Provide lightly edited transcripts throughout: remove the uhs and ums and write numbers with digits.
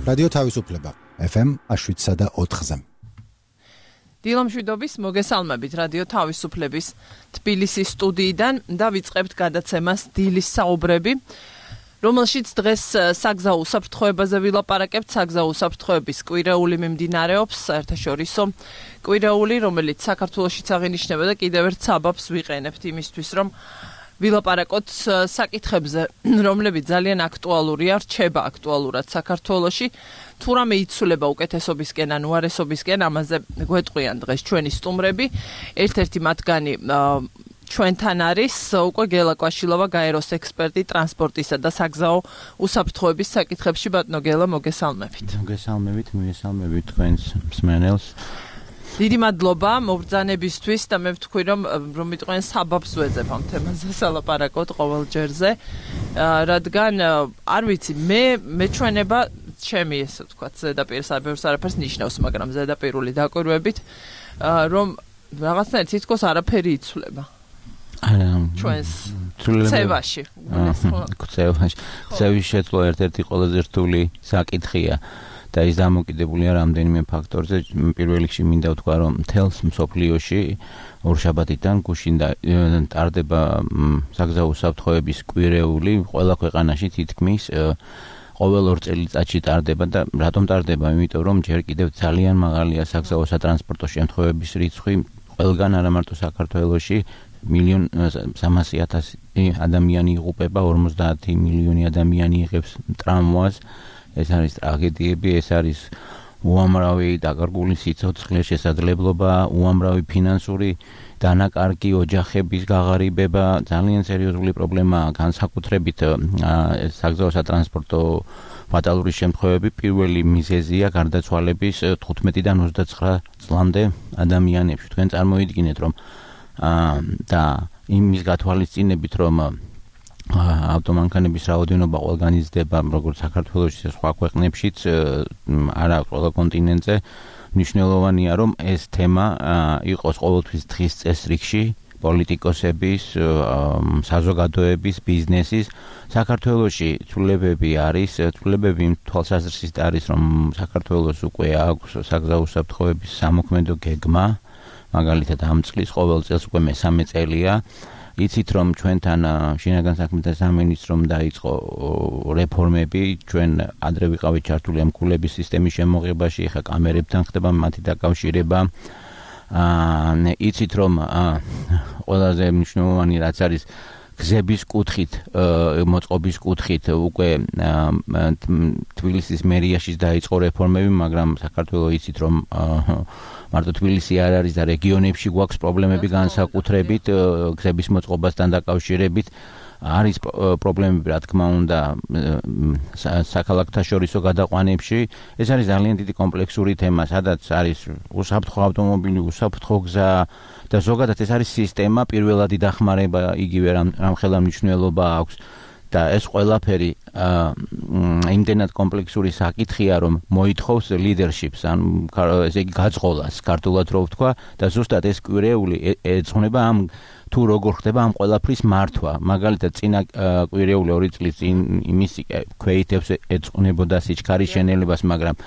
რადიო თავისუფლება FM 107.4-ზე. დილამშვიდობის მოგესალმებით რადიო თავისუფლების თბილისის სტუდიიდან და ვიწყებთ გადაცემას დილის საუბრები, რომელშიც დღეს საგზაო უსაფრთხოებაზე ვილაპარაკებთ. საგზაო უსაფრთხოების კვირეული მიმდინარეობს, საერთაშორისო კვირეული, რომელიც საქართველოშიც აღინიშნება და კიდევ ერთ საბაბს ვიყენებთ იმისთვის, რომ ვილაპარაკოთ საკითხებზე, რომლებიც ძალიან აქტუალურია, რჩება აქტუალურად საქართველოში. თუ რამე იცვლება უკეთესობისკენ ან უარესობისკენ, ამაზე გვეტყვიან დღეს ჩვენი სტუმრები. ერთ-ერთი მათგანი ჩვენთან არის უკვე გელა კვაშილოვა, გაეროს ექსპერტი ტრანსპორტისა და საგზაო უსაფრთხოების საკითხებში. ბატონო გელა, მოგესალმებით. მოგესალმებით თქვენს მსმენელს. დიდი მადლობა მობრძანებისთვის და მე ვთქვი, რომ მიტყვენ საბაბს ვეძებ ამ თემაზე სალაპარაკოთ ყოველ ჯერზე, რადგან არ ვიცი, მე ჩვენება ჩემი ესე ვთქვათ, ზედაპირს არაფერს ნიშნავს, მაგრამ ზედაპირული დაკვირვებით, რომ რაღაცნაირად თითქოს არაფერი იცვლება. ჩვენს ცევაში. ცევის შეცვლა ერთ-ერთი ყველაზე რთული საკითხია. და ის დამოკიდებულია რამდენიმე ფაქტორზე. პირველ რიგში მინდა ვთქვა, რომ მთელს მსოფლიოში ორშაბათიდან გუშინ ტარდება საგზაო უსაფრთხოების კვირეული, ყველა ქვეყანაში თითქმის ყოველ 2 წელიწადში ტარდება და რატომ ტარდება? იმიტომ რომ ჯერ კიდევ ძალიან მაღალია საგზაო სატრანსპორტო შემთხვევების რიცხვი ყველგან, არა მარტო საქართველოში. 1,300,000 ადამიანი იღუპება, 50 მილიონი ადამიანი იღებს ტრამვას. ეს არის ტრაგედიები, ეს არის უამრავი დაკარგული სიცოცხლე, შესაძლებლობა, უამრავი ფინანსური დანაკარგი, ოჯახების ღაღარიბება, ძალიან სერიოზული პრობლემაა. განსაკუთრებით საგზაო სატრანსპორტო ფატალური შემთხვევები პირველი მიზეზია გარდაცვალების 15-დან 29 წლამდე ადამიანებში. თქვენ წარმოიდგინეთ, რომ და იმის გათვალისწინებით, რომ ავტომანქანების რაოდენობა ყველგან იზრდება, როგორც საქართველოში, სხვა ქვეყნებშიც, არა ყველა კონტინენტზე. მნიშვნელოვანია, რომ ეს თემა იყოს ყოველთვის დღის წესრიგში პოლიტიკოსების, საზოგადოების, ბიზნესის. საქართველოში ცვლილებები იმ თვალსაზრისით არის, რომ საქართველოს უკვე აქვს საგზაო უსაფრთხოების სამოქმედო გეგმა, მაგალითად ამ წლის ყოველ წელს უკვე მესამე წელია. იცით, რომ ჩვენთან შინაგან საქმეთა სამინისტრომ დაიწყო რეფორმები, ჩვენ ადრე ვიყავით ჩართული ამ კულების სისტემის შემოღებაში, ახლა კამერებთან ხდება მათი დაკავშირება. იცით, რომ ყველაზე მნიშვნელოვანი რაც არის გზების კუთხით, მოწყობის კუთხით უკვე თბილისის მერიაში დაიწყო რეფორმები, მაგრამ საქართველოს იცით, რომ მარტო თბილისი არ არის და რეგიონებში გვაქვს პრობლემები განსაკუთრებით გზების მოწყობასთან დაკავშირებით. არის პრობლემები, რა თქმა უნდა, საქალაქთაშორისო გადაყვანებში. ეს არის ძალიან დიდი კომპლექსური თემა, სადაც არის უსაფრთხო ავტომობილი, უსაფრთხო გზა და ზოგადად ეს არის სისტემა, პირველადი დახმარება იგივე რამხელა მნიშვნელობა აქვს. და ეს ყველაფერი იმდენად კომპლექსური საკითხია, რომ მოითხოვს leadership-ს, ესე იგი გაძღოლას, ქართულად რო ვთქვა, და ზუსტად ეს კვირეული ეძღვნება თუ როგორ ხდება ამ ყველაფრის მართვა. მაგალითად, წინა კვირეული 2 წლის წინ იმის ქვეითებს ეძღვნებოდა სიჩქარის შენელებას, მაგრამ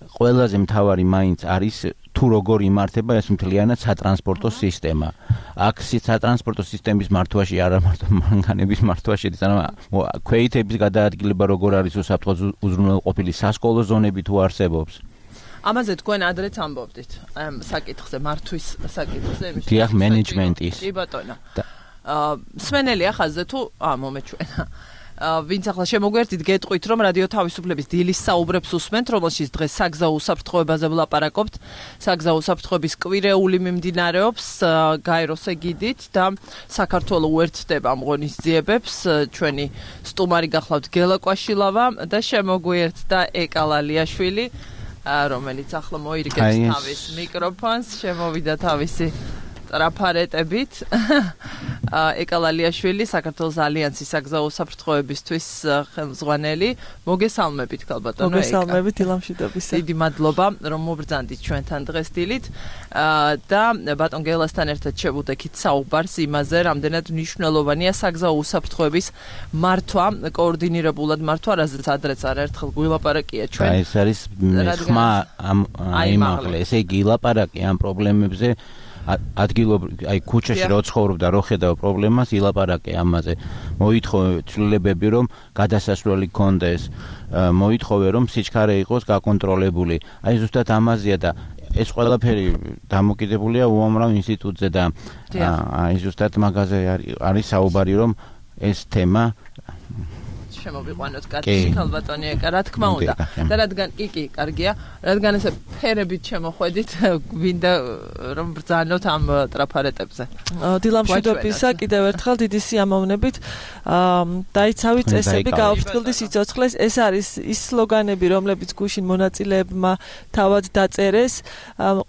ყველაზე მთავარი მაინც არის თუ როგორ იმართება ეს მთლიანად სატრანსპორტო სისტემა. აქ სატრანსპორტო სისტემის მართვაში, არა მარტო მანქანების მართვაში, ქვეითების გადაადგილება როგორ არის უსაფრთხო უზრუნველყოფილი, სასკოლო ზონები თუ არსებობს. ამაზე თქვენ ადრეც ამბობდით, საკითხზე, მართვის საკითხზე. დიახ, მენეჯმენტის. კი ბატონო. სვენელი ახალზე თუ მომეჩვენა. ვინც ახლა შემოგვერთით, გეტყვით, რომ რადიო თავისუფლების დილის საუბრებს უსმენთ, რომელშიც დღეს საგზაო უსაფრთხოებაზე ვლაპარაკობთ. საგზაო უსაფრთხოების კვირეული მიმდინარეობს გაეროს ეგიდით და საქართველო უერთდება ამ ღონისძიებებს. ჩვენი სტუმარი გახლავთ გელა კვაშილოვა და შემოგვერთდა ეკალა ლიაშვილი, რომელიც ახლა მოირგებს თავის მიკროფონს, შემოვიდა თავისი ტრაფარეტებით. ეკალალიაშვილი, საქართველოს ალიანსის საგზაო უსაფრთხოებისთვის ხელმძღვანელი. მოგესალმებით, ქალბატონო. მოგესალმებით, ილამშვიდობისა. დიდი მადლობა, რომ მობრძანდით ჩვენთან დღეს დილით. და ბატონ გელასთან ერთად შევუდექით საუბარს იმაზე, რამდენად მნიშვნელოვანია საგზაო უსაფრთხოების მართვა, კოორდინირებულად მართვა, რაზეც ადრეც არაერთხელ გვილაპარაკია ჩვენ. ეს არის ხმა აიმაღლე, ესე იგი ილაპარაკი ამ პრობლემებზე ადგილობრივ, აი ქუჩაში რო ცხოვრობდა, რო ხედავ პრობლემას, ილაპარაკე ამაზე. მოითხოვე ცვლილებები, რომ გადასასვლელი გქონდეს, მოითხოვე, რომ სიჩქარე იყოს გაკონტროლებული. აი ზუსტად ამაზეა და ეს ყველაფერი დამოკიდებულია უამრავ ინსტიტუტზე და აი ზუსტად მაგაზე არის საუბარი, რომ ეს თემა შემოვიყვანოთ კაცი ქალბატონი ეკა, რა თქმა უნდა. და რადგან კი, კარგია, რადგან ესე ფერებით შემოხვედით, გვინდა რომ ბრძანოთ ამ ტრაფარეტებზე. დილამშვიდობისა, კიდევ ერთხელ დიდი სიამოვნებით. დაიცავი წესები, გააფრთხილდი სიცოცხლეს. ეს არის ის სლოგანები, რომლებიც გუშინ მონაწილეებმა თავად დაწერეს.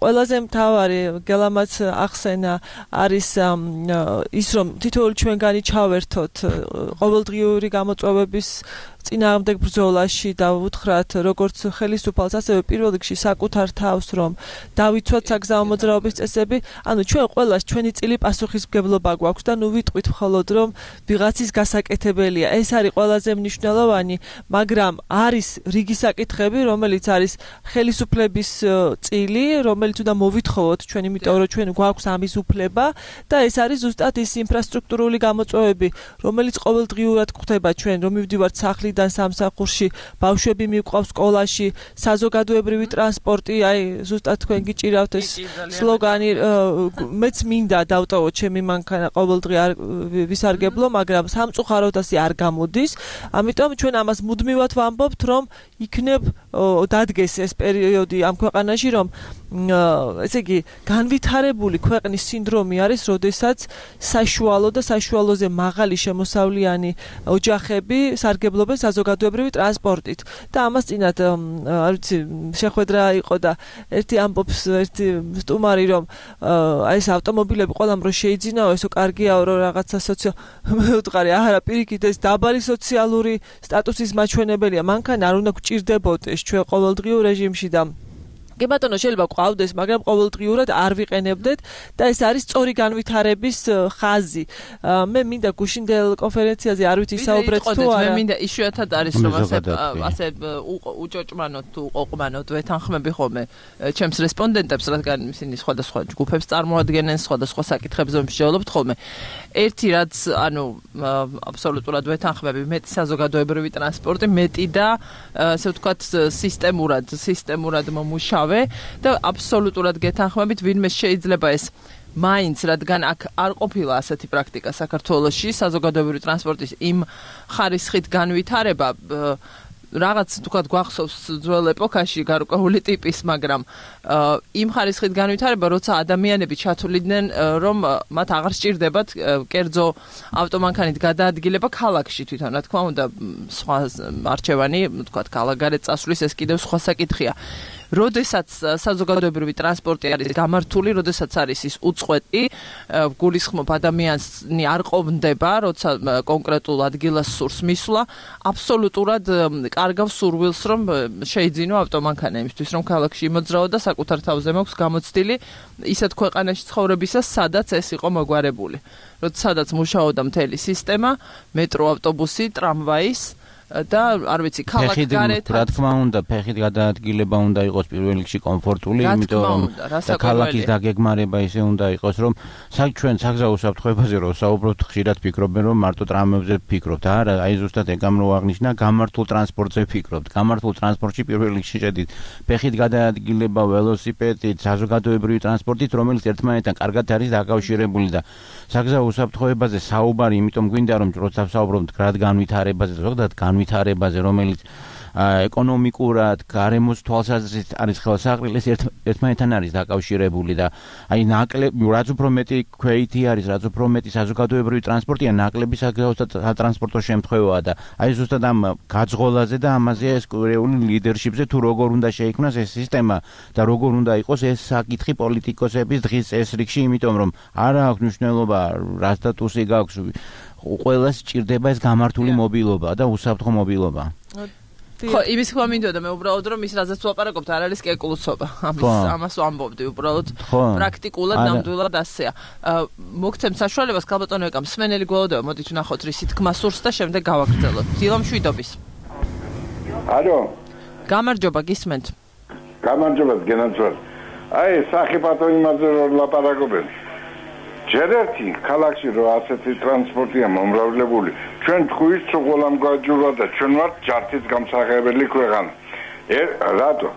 ყველაზე მთავარი გელამაც ახსენა არის ის, რომ თითოეული ჩვენგანი ჩავერთოთ ყოველდღიური გამოწვევების წინააღმდეგ ბრძოლაში და უთხრათ როგორც ხელისუფალს, ასევე პირველ რიგში საკუთარ თავს, რომ დავიცვათ საგზაო მოძრაობის წესები. ანუ ჩვენ ყველას ჩვენი წილი პასუხისმგებლობა გვაქვს და ნუ ვიტყვით მხოლოდ, რომ ვიღაცის გასაკეთებელია. ეს არის ყველაზე მნიშვნელოვანი, მაგრამ არის რიგი საკითხები, რომელიც არის ხელისუფლების წილი, რომელიც უნდა მოვითხოვოთ ჩვენ, იმიტომ რომ ჩვენ გვაქვს ამის უფლება და ეს არის ზუსტად ის ინფრასტრუქტურული გამოწვევები, რომელიც ყოველდღიურად გვხდება ჩვენ, რომ მივდივართ სახლიდან სამსახურში, ბავშვები მივყავს სკოლაში, საზოგადოებრივი ტრანსპორტი, აი ზუსტად თქვენ გიჭირავთ ეს სლოგანი, მეც მინდა დავტოვოთ ჩემი მანქანა ყოველდღე არ ვისარგებლო, მაგრამ სამწუხაროდ ასე არ გამოდის. ამიტომ ჩვენ ამას მუდმივად ვამბობთ, რომ იქნებ დადგეს ეს პერიოდი ამ ქვეყანაში, რომ ესე იგი განვითარებული ქვეყნის სინდრომი არის, როდესაც საშუალო და საშუალოზე მაღალი შემოსავლიანი ოჯახები სარგებლობენ საზოგადოებრივი ტრანსპორტით. და ამას წინათ არ ვიცი, შეხვედრა იყო და ერთი ამბობს, ერთი სტუმარი, რომ აი ეს ავტომობილები ყველამ რო შეიძინაო, ესო კარგიაო, რომ რაღაცა მეუთხარი, არა, პირიქით ეს დაბალი სოციალური სტატუსის მაჩვენებელია. მანქანა არ უნდა გვჭირდებოდეს ჩვენ ყოველდღიურ რეჟიმში და კი ბატონო, შეიძლება ყავდეს, მაგრამ ყოველდღიურად არ ვიყენებდეთ და ეს არის სწორი განვითარების ხაზი. მე მინდა გუშინდელ კონფერენციაზე არ ვიცი საუბრეთ თუ არა. მე მინდა იშვიათად არის რომ ასე უჭოჭმანოთ თუ უყოყმანოთ ვეთანხმები ხოლმე ჩემს რესპონდენტებს, რადგან ისინი სხვადასხვა ჯგუფებს წარმოადგენენ, სხვადასხვა საკითხებზე მსჯელობთ ხოლმე. ერთი რაც, ანუ აბსოლუტურად ვეთანხმები, მეტი საზოგადოებრივი ტრანსპორტი, მეტი და ასე ვთქვათ სისტემურად მომუშავე და აბსოლუტურად გეთანხმებით, ვინმე შეიძლება ეს მაინც, რადგან აქ არ ყოფილა ასეთი პრაქტიკა საქართველოში, საზოგადოებრივი ტრანსპორტის იმ ხარისხით განვითარება, რაღაც თქვათ გვახსოვს ძველ ეპოქაში გარკვეული ტიპის, მაგრამ იმ ხარისხით განვითარება, როცა ადამიანები ჩათვლიდნენ, რომ მათ აღარ სჭირდებათ კერძო ავტომანქანით გადაადგილება ქალაქში თვითონ, რა თქმა უნდა, სხვა არჩევანი, თქვათ ქალაქგარეთ წასვლის ეს კიდევ სხვა საკითხია. როდესაც საზოგადოებრივი ტრანსპორტი არის გამართული, როდესაც არის ის უწყვეტი, გულისხმობ ადამიანი არ ყოფნდება, როცა კონკრეტულ ადგილას სურს მისვლა, აბსოლუტურად კარგავს სურვილს, რომ შეიძინო ავტომანქანა იმისთვის, რომ ქალაქში იმოძრაო და საკუთარ თავზე მაქვს გამოცდილი ისეთ ქვეყანაში ცხოვრებისას, სადაც ეს იყო მოგვარებული. სადაც მუშაობდა მთელი სისტემა, მეტრო, ავტობუსი, ტრამვაის და არ ვიცი, ქალაქგარეთ. რა თქმა უნდა, ფეხით გადაადგილება უნდა იყოს პირველ რიგში კომფორტული, იმიტომ რომ და ქალაქის დაგეგმარება ისე უნდა იყოს, რომ ჩვენ საგზაო უსაფრთხოებაზე რო საუბრობთ, ხშირად ფიქრობენ, რომ მარტო ტრამებზე ფიქრობთ. არა, აი ზუსტად ეგ ამ რო აღნიშნა, გამართულ ტრანსპორტზე ფიქრობთ. გამართულ ტრანსპორტში პირველ რიგში შედით ფეხით გადაადგილება, ველოსიპედით, საზოგადოებრივი ტრანსპორტით, რომელიც ერთმანეთთან კარგად არის დაკავშირებული და საგზაო უსაფრთხოებაზე საუბარი, იმიტომ გვინდა რომ როცა საუბრობთ გრად განვითარებაზე, ზოგადად განვითარებაზე, რომელიც ეკონომიკურად, გარემოს თვალსაზრისით არის ხელსაყრელი, ერთმანეთთან არის დაკავშირებული და აი ნაკლები, რაც უფრო მეტი ქვეითი არის, რაც უფრო მეტი საზოგადოებრივი ტრანსპორტია, ნაკლები სატრანსპორტო შემთხვევაა და აი ზუსტად ამ გაძღოლაზე და ამაზე ეს კვირეული ლიდერშიპზე თუ როგორ უნდა შეიქმნას ეს სისტემა და როგორ უნდა იყოს ეს საკითხი პოლიტიკოსების დღის წესრიგში, იმიტომ რომ არ აქვს მნიშვნელობა რა სტატუსი გაქვს, ყველას სჭირდება ეს გამართული მობილობა და უსაფრთხო მობილობა. ხო, იმის ხმა მინდოდა მე უბრალოდ რომ ის რაზეც ვაპარაკობთ არ არის კეკლუცობა. ამას ვამბობდი უბრალოდ პრაქტიკულად ნამდვილად ასეა. მოგცემ საშუალებას ქალბატონო ეკა მსმენელი გველოდება, მოდით ვნახოთ რისი თქმა სურს და შემდეგ გავაგრძელოთ. დილა მშვიდობის. ალო. გამარჯობა, გისმენთ. გამარჯობა, გენაცვალ. აი, სახიფათო იმაზე რომ ლაპარაკობენ. ჯერ ერთი ქალაქში რო ასეთი ტრანსპორტია მომრავლებული, ჩვენ თქვით სულ გამგაჯურა და ჩვენ ვართ ჯართის გამსახებელი ქვეყანა. რატო?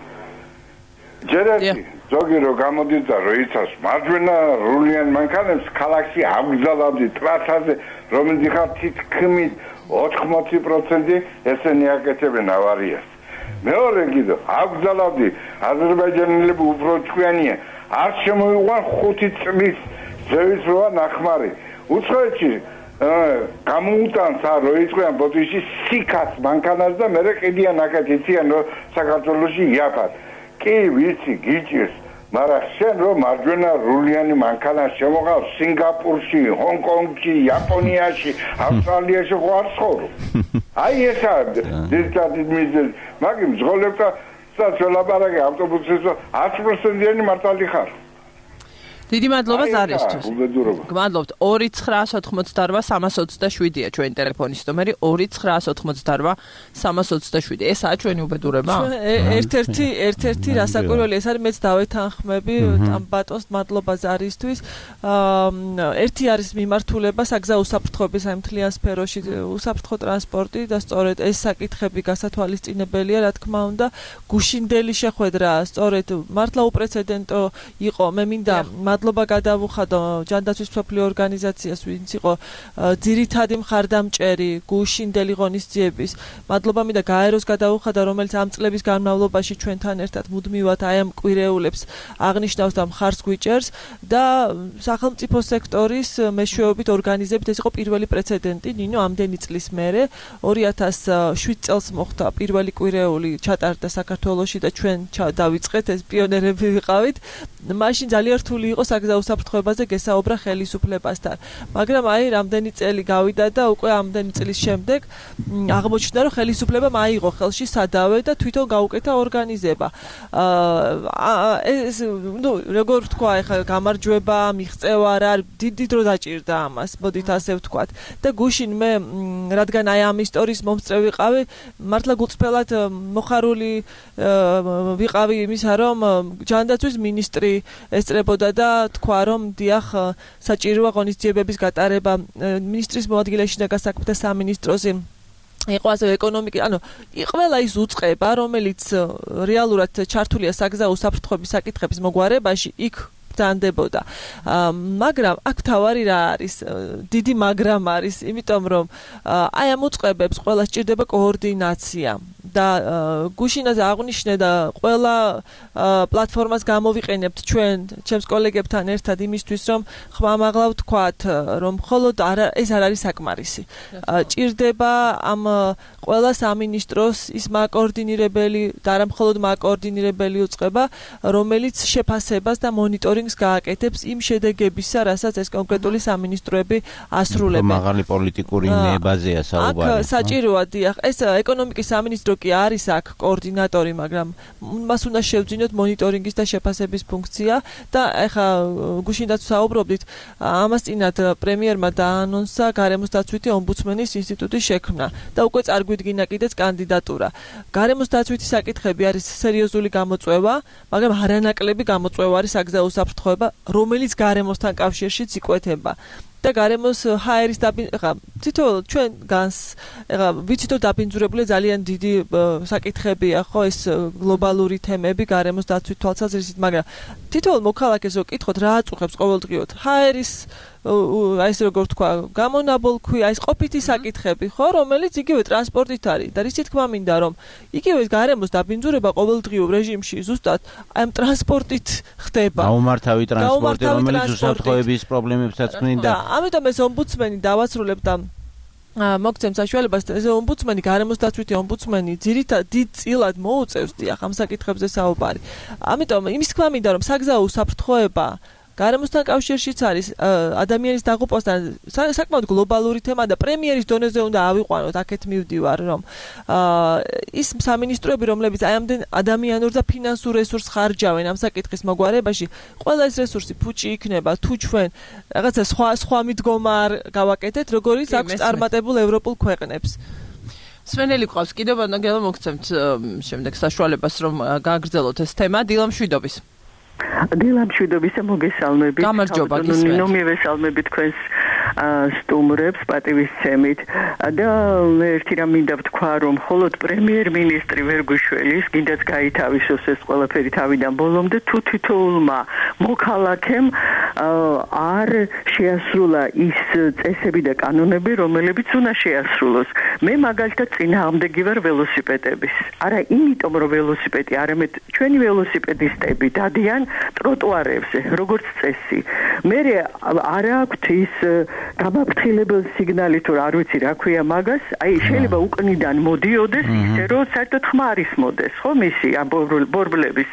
ჯერ ერთი ზოგი რო გამოდის და რო იცავს მარჯვენა რულიან მანქანებს ქალაქში აგზალავდი ტრასაზე, რომელიც ხარ თითქმის 80% ესენი აკეთებენ ავარიას. მეორე კიდე აგზალავდი აზერბაიჯანელები უფრო ჭკვიანია, არ შემოიყვან 5 წლის ზევის როა ნახმარი. უცხოეთში გამოუტანს არ როიწყვიან ბოდიში სიკას მანქანას და მერე ყიდიან აქეთ იციან რომ საქართველოში იაფად. კი ვიცი გიჭირს, მაგრამ შენ რომ მარჯვენა რულიანი მანქანა შემოყავს სინგაპურში, ჰონკონგში, იაპონიაში, ავსტრალიაში ხო არ ცხოვრობ. აი ესა ძირითადად მიზეზი. მაგის ზღოლებდა საწოლაპარაკე ავტობუსის 100%-იანი მართალი ხარ. დიდი მადლობა ზარისთვის. გმადლობთ. 2988327-ია ჩვენი ტელეფონის ნომერი 2988327. ესაა ჩვენი უბედურება. ერთ-ერთი რასაკვირველი ეს არის, მეც დავეთანხმები ამ ბატონს მადლობა ზარისთვის. ერთი არის მიმართულება საგზაო უსაფრთხოების აი მთლიან სფეროში, უსაფრთხო ტრანსპორტი და სწორედ ეს საკითხები გასათვალისწინებელია, რა თქმა უნდა. გუშინდელი შეხვედრა სწორედ მართლა უპრეცედენტო იყო. მე მინდა მადლობა გადავუხადო ჯანდაცვის მსოფლიო ორგანიზაციას, ვინც იყო ძირითადი მხარდამჭერი გუშინდელი ღონისძიების. მადლობა მინდა გაეროს გადავუხადო, რომელიც ამ წლების განმავლობაში ჩვენთან ერთად მუდმივად აი ამ კვირეულებს აღნიშნავს და მხარს გვიჭერს და სახელმწიფო სექტორის მეშვეობით ორგანიზებით ეს იყო პირველი პრეცედენტი. ნინო ამდენი წლის მერე 2007 წელს მოხდა პირველი კვირეული ჩატარდა საქართველოში და ჩვენ დავიწყეთ, ეს პიონერები ვიყავით. მაშინ ძალიან რთული იყო საგზაო უსაფრთხოებაზე გესაუბრა ხელისუფლებასთან. მაგრამ აი რამდენი წელი გავიდა და უკვე ამდენი წლის შემდეგ აღმოჩნდა რომ ხელისუფლებამ აიღო ხელში სადავე და თვითონ გაუკეთა ორგანიზება. ეს როგორ ვთქვა, ეხლა გამარჯვება, მიღწევა რა, დიდი დრო დაჭირდა ამას, მოდით ასე ვთქვათ. და გუშინ მე რადგან აი ამ ისტორიის მომსწრე ვიყავი, მართლა გულწრფელად მოხარული ვიყავი იმისა, რომ ჯანდაცვის მინისტრი ესწრებოდა და თქვა რომ დიახ საჭიროა ღონისძიებების გატარება. მინისტრის მოადგილეში და გასაქმეთა სამინისტროზე იყო ასე ეკონომიკა, ანუ ყველა ის უწყება, რომელიც რეალურად ჩართულია საგზაო უსაფრთხოების საკითხების მოგვარებაში, იქ ბრძანდებოდა. მაგრამ აქ თავარი რა არის? დიდი მაგრამ არის, იმიტომ რომ აი ამ უწყებებს ყველა სჭირდება კოორდინაცია. და გუშინაზე აღნიშნე და ყველა პლატფორმას გამოვიყენებთ ჩვენ ჩემს კოლეგებთან ერთად იმისთვის რომ ხმამაღლა ვთქვათ რომ მხოლოდ ეს არ არის საკმარისი. ჭირდება ამ ყველა სამინისტროს ის მაკოორდინირებელი და არა მხოლოდ მაკოორდინირებელი უწყება, რომელიც შეფასებას და მონიტორინგს გააკეთებს იმ შედეგებისა, რასაც ეს კონკრეტული სამინისტროები ასრულებენ. მაღალი პოლიტიკური ნებაზეა საუბარი. აქ საჭიროა დიახ, ეს ეკონომიკის სამინისტრო კი არის აქ კოორდინატორი, მაგრამ მას უნდა შევძინოთ მონიტორინგის და შეფასების ფუნქცია და ეხა გუშინდაც საუბრობდით, ამას წინათ პრემიერმა დაანონსა გარემოს დაცვითი ომბუდსმენის ინსტიტუტის შექმნა და უკვე წარგვიდგინა კიდეც კანდიდატურა. გარემოს დაცვითი საკითხები არის სერიოზული გამოწვევა, მაგრამ არანაკლები გამოწვევა არის საგზაო უსაფრთხოება, რომელიც გარემოსთან კავშირშიც იკვეთება. და გარემოს ჰაერის თითოეულ ჩვენ განს ვიცით რომ დაბინძურებული ძალიან დიდი საკითხებია ხო ეს გლობალური თემები გარემოს დაცვით თვალსაზრისით, მაგრამ თითოეულ მოქალაქეს რო კითხოთ რა აწუხებს ყოველდღიურად ჰაერის აი ეს როგორ თქვა, გამონაბოლქვი, აი ეს ყოფითი საკითხები, ხო, რომელიც იგივე ტრანსპორტით არის და რითი თქმა მინდა, რომ იგივე გარემოს დაბინძურება ყოველდღიურ რეჟიმში ზუსტად აი ამ ტრანსპორტით ხდება. გაუმართავი ტრანსპორტი, რომელიც უსაფრთხოების პრობლემებსაც ქმნიდა. ამიტომ ეს ომბუდსმენი დავაცრულებ და მოგცემ საშუალებას ეს ომბუდსმენი გარემოს დაცვითი ომბუდსმენი ძირითადად დიდ წილად მოუწევს დიახ ამ საკითხებზე საუბარი. ამიტომ იმის თქმა მინდა რომ საგზაო უსაფრთხოება გარემოსთან კავშირშიც არის ადამიანის დაღუპვასთან საკმაოდ გლობალური თემა და პრემიერის დონეზე უნდა ავიყვანოთ აქეთ მივდივარ რომ ის სამინისტროები რომლებიც აი ამდენ ადამიანურ და ფინანსურ რესურსს ხარჯავენ ამ საკითხის მოგვარებაში ყველა ეს რესურსი ფუჭი იქნება თუ ჩვენ რაღაცა სხვა მიდგომა არ გავაკეთეთ როგორიც აქვს წარმატებულ ევროპულ ქვეყნებს სვენელი ყავს კიდევ ბანაგელა მოგცემთ შემდეგ საშუალებას რომ გააგრძელოთ ეს თემა დილამშვიდობის დილამშვიდობისა მოგესალმებით. გამარჯობა გისმენთ. მივესალმებით თქვენს სტუმრებს პატივისცემით და ერთი რამ მინდა ვთქვა რომ მხოლოდ პრემიერ-მინისტრი ვერგუშველის კიდეც გაითავისოს ეს ყველაფერი თავიდან ბოლომდე თუ თითოეულმა მოქალაქემ არ შეასრულა ის წესები და კანონები რომლებიც უნდა შეასრულოს. მე მაგალითად წინააღმდეგი ვარ ველოსიპედების. არა იმიტომ რომ ველოსიპედი არამედ ჩვენი ველოსიპედისტები დადიან ტროტუარებზე როგორც წესი. მე არ აქვს ის გამაფრთხილებელ სიგნალი თუ არ ვიცი რა ქვია მაგას, აი შეიძლება უკნიდან მოდიოდეს ისე რომ საერთოდ ხმარის მოდეს, ხო მისი ამ ბორბლების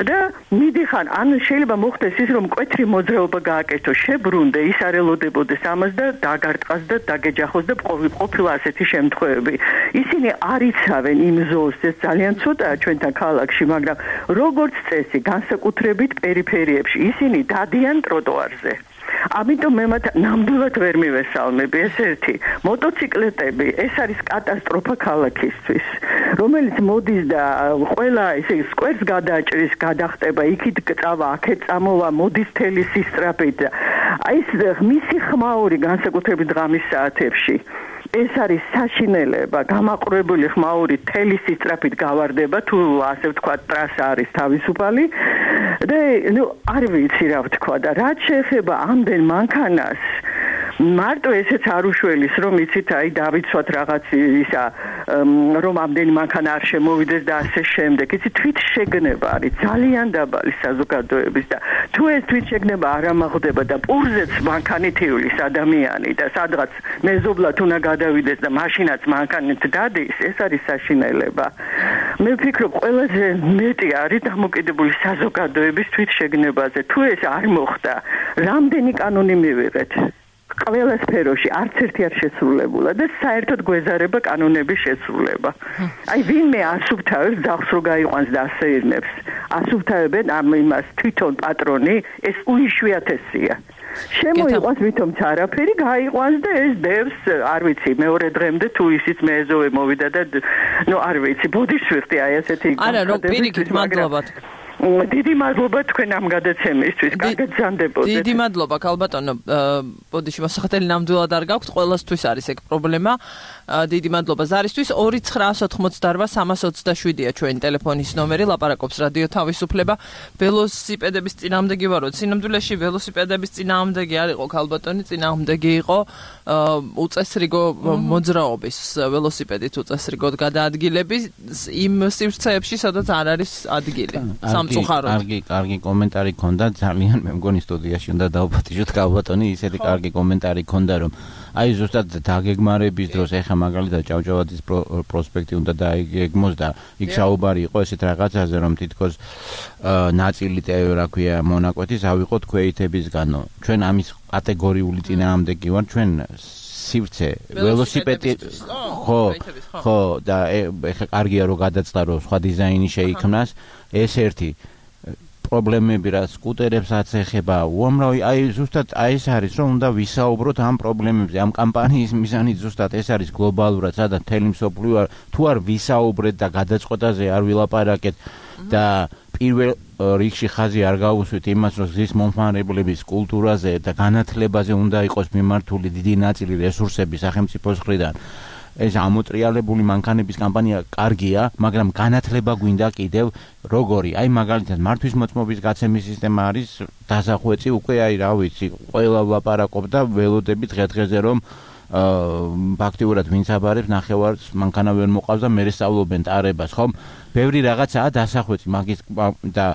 და მიდიხან ან შეიძლება მოხდეს ის რომ მკვეთრი მოძრაობა გააკეთო შებრუნდე ის არ ელოდებოდეს ამას და დაგარტყას და დაგეჯახოს და ყოფილა ასეთი შემთხვევები ისინი არ იცავენ იმ ზოლს ეს ძალიან ცოტაა ჩვენთან ქალაქში მაგრამ როგორც წესი განსაკუთრებით პერიფერიებში ისინი დადიან ტროტუარზე ამიტომ მე მათ ნამდვილად ვერ მივესალმები ეს ერთი მოტოციკლეტები ეს არის კატასტროფა ქალაქისთვის რომელიც მოდის და ყველა ესე სკვერს გადაჭრის გადახტება იქით წავა აქეთ წამოვა მოდის თელი სისწრაფით აი ეს მისი ხმაური განსაკუთრებით დღამის საათებში ეს არის საშინელება გამაყურებელი ხმაური თელი სისწრაფით გავარდება თუ ასე ვთქვათ ტრასა არის თავისუფალი და ნუ არ ვიცი რა ვთქვა და რაც შეეხება ამდენ მანქანას მარტო ესეც არ უშველის რომ იცით აი დავიცვათ რაღაც ისა რომ ამდენი მანქანა არ შემოვიდეს და ასე შემდეგ იცით თვით შეგნება არის ძალიან დაბალი საზოგადოების და თუ ეს თვით შეგნება არ ამაღდება და პურზეც მანქანით ივლის ადამიანი და სადღაც მეზობლად უნდა გადავიდეს და მაშინაც მანქანით დადის ეს არის საშინელება მე ვფიქრობ ყველაზე მეტი არის დამოკიდებული საზოგადოების თვით შეგნებაზე თუ ეს არ მოხდა რამდენი კანონი მივიღეთ ყველა სფეროში არც ერთი არ შესრულებულა და საერთოდ გვეზარება კანონების შესრულება. აი ვინმე ასუფთავებს ძაღლს რო გაიყვანს და ასეირნებს. ასუფთავებენ ამ იმას თვითონ პატრონი ეს უიშვიათესია. შემოიყვანს ვითომც არაფერი გაიყვანს და ეს დევს არ ვიცი მეორე დღემდე თუ ისიც მეეზოვე მოვიდა და ნუ არ ვიცი ბოდიშვიხტი აი ასეთი არა რო პირიქით მადლობა დიდი მადლობა თქვენ ამ გადაცემისთვის. კარგად გზანდებოდეთ. დიდი მადლობა ქალბატონო. ბოდიში მოსახდელი ნამდვილად არ გაქვთ, ყველასთვის არის ეგ პრობლემა. დიდი მადლობა ზარისთვის 2988327-ია ჩვენი ტელეფონის ნომერი, ლაპარაკობს რადიო თავისუფლება. ველოსიპედების წინააღმდეგი ვარო. სინამდვილეში ველოსიპედების წინააღმდეგი არ იყო ქალბატონი, წინააღმდეგი იყო უწესრიგო მოძრაობის ველოსიპედით უწესრიგოდ გადაადგილების იმ სივრცეებში, სადაც არ არის ადგილი. კარგი კომენტარი ქონდა ძალიან მე მგონი სტუდიაში უნდა დავფათიშოთ ქალბატონი ისეთი კარგი კომენტარი ქონდა რომ აი ზუსტად დაგეგმარების დროს ეხა მაგალითად ჭავჭავაძის პროსპექტი უნდა დაიგეგმოს და იქ საუბარი იყო ესეთ რაღაცაზე რომ თითქოს ნაწილი რა ქვია მონაკვეთის ავიღოთ ქვეითებისგანო ჩვენ ამის კატეგორიული წინააღმდეგი ვარ ჩვენ სივრცე ველოსიპედი ხო და ეხა კარგია რომ გადაწყდა რომ სხვა დიზაინი შეიქმნას ეს ერთი პრობლემები რა სკუტერებსაც ეხება უამრავი აი ზუსტად აი ეს არის რომ უნდა ვისაუბროთ ამ პრობლემებზე ამ კამპანიის მიზანით ზუსტად ეს არის გლობალურად სადაც მთელი მსოფლიო თუ არ ვისაუბრეთ და გადაწყვეტაზე არ ვილაპარაკეთ და პირველ რიგში ხაზი არ გაუსვით იმას რომ გზის მომხმარებლების კულტურაზე და განათლებაზე უნდა იყოს მიმართული დიდი ნაწილი რესურსები სახელმწიფოს მხრიდან ეს ამოტრიალებული მანქანების კამპანია კარგია, მაგრამ განათლება გვინდა კიდევ როგორი. აი მაგალითად მართვის მოწმობის გაცემის სისტემა არის დასახვეწი უკვე აი რა ვიცი, ყველა ვლაპარაკობდა ველოდები დღე-დღეზე რომ ფაქტიურად ვინც აბარებს ნახევარს მანქანა ვერ მოყავს და მე სწავლობენ ტარებას, ხომ? ბევრი რაღაცაა დასახვეწი მაგის და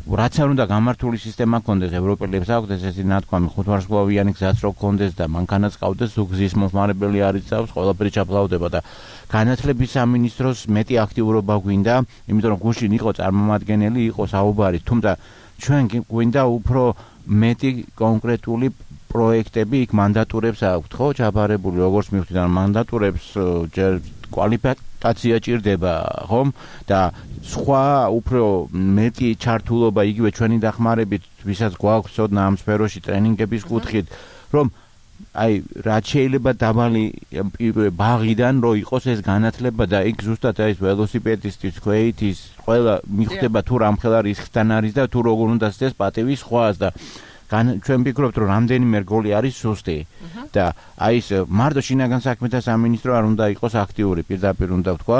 რაც არ უნდა გამართული სისტემა ქონდეს ევროპელებს აქვს ესეთი ნათქვამი 5 ვარსკვლავიანი გზაც რო ქონდეს და მანქანაც ყავდეს ზუგზის მომხმარებელი არ იცავს ყველაფერი ჩაფლავდება და განათლების სამინისტროს მეტი აქტიურობა გვინდა იმიტომ რომ გუშინ იყო წარმომადგენელი იყო საუბარი თუმცა ჩვენ გვინდა უფრო მეტი კონკრეტული პროექტები იქ მანდატურებს აქვთ ხო ჩაბარებული როგორც მივხვდით ან მანდატურებს ჯერ კვალიფიკაცია ჭირდება ხომ და სხვა უფრო მეტი ჩართულობა იგივე ჩვენი დახმარებით ვისაც გვაქვს ცოდნა ამ სფეროში ტრენინგების კუთხით რომ აი რაც შეიძლება დაბალი ბაღიდან რო იყოს ეს განათლება და იქ ზუსტად აი ველოსიპედისტის ქვეითის ყველა მიხვდება თუ რამხელა რისკთან არის და თუ როგორ უნდა ცდეს პატივი სხვას და ჩვენ ვფიქრობთ რომ რამდენიმე რგოლი არის სუსტი და აი ეს მარტო შინაგან საქმეთა სამინისტრო არ უნდა იყოს აქტიური პირდაპირ უნდა ვთქვა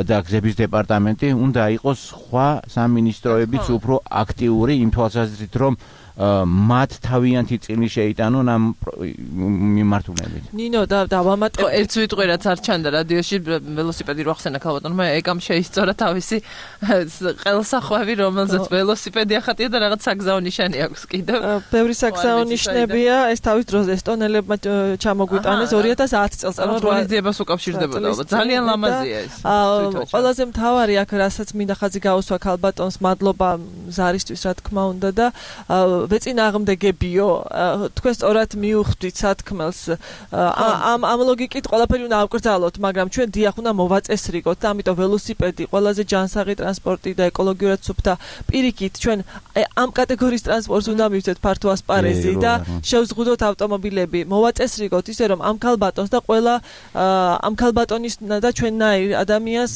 და გზების დეპარტამენტი უნდა იყოს სხვა სამინისტროებიც უფრო აქტიური იმ თვალსაზრისით რომ მათ თავიანთი წილი შეიტანონ ამ მიმართულებით. ნინო და ვამატებ ერთ ვიტყვი რაც არ ჩანდა რადიოში ველოსიპედი რო ახსენა ქალბატონმა ეკამ შეისწორა თავისი ყელსახვევი რომელზეც ველოსიპედი ახატია და რაღაც საგზაო ნიშანი აქვს კიდევ. ბევრი საგზაო ნიშნებია ეს თავის დროზე ესტონელებმა ჩამოგვიტანეს 2010 წელს ანუ როლიზებას უკავშირდებოდა ალბათ ძალიან ლამაზია ეს. ყველაზე მთავარი აქ რასაც მინდა ხაზი გაუსვა ქალბატონს მადლობა ზარისთვის რა თქმა უნდა და ვეწინააღმდეგებიო თქვენ სწორად მიუხვდით სათქმელს ამ ლოგიკით ყველაფერი უნდა ავკრძალოთ მაგრამ ჩვენ დიახ უნდა მოვაწესრიგოთ და ამიტომ ველოსიპედი ყველაზე ჯანსაღი ტრანსპორტი და ეკოლოგიურად სუფთა პირიქით ჩვენ ამ კატეგორიის ტრანსპორტს უნდა მივცეთ ფართო ასპარეზი და შევზღუდოთ ავტომობილები მოვაწესრიგოთ ისე რომ ამ ქალბატონს და ყველა ამ ქალბატონის და ჩვენნაირ ადამიანს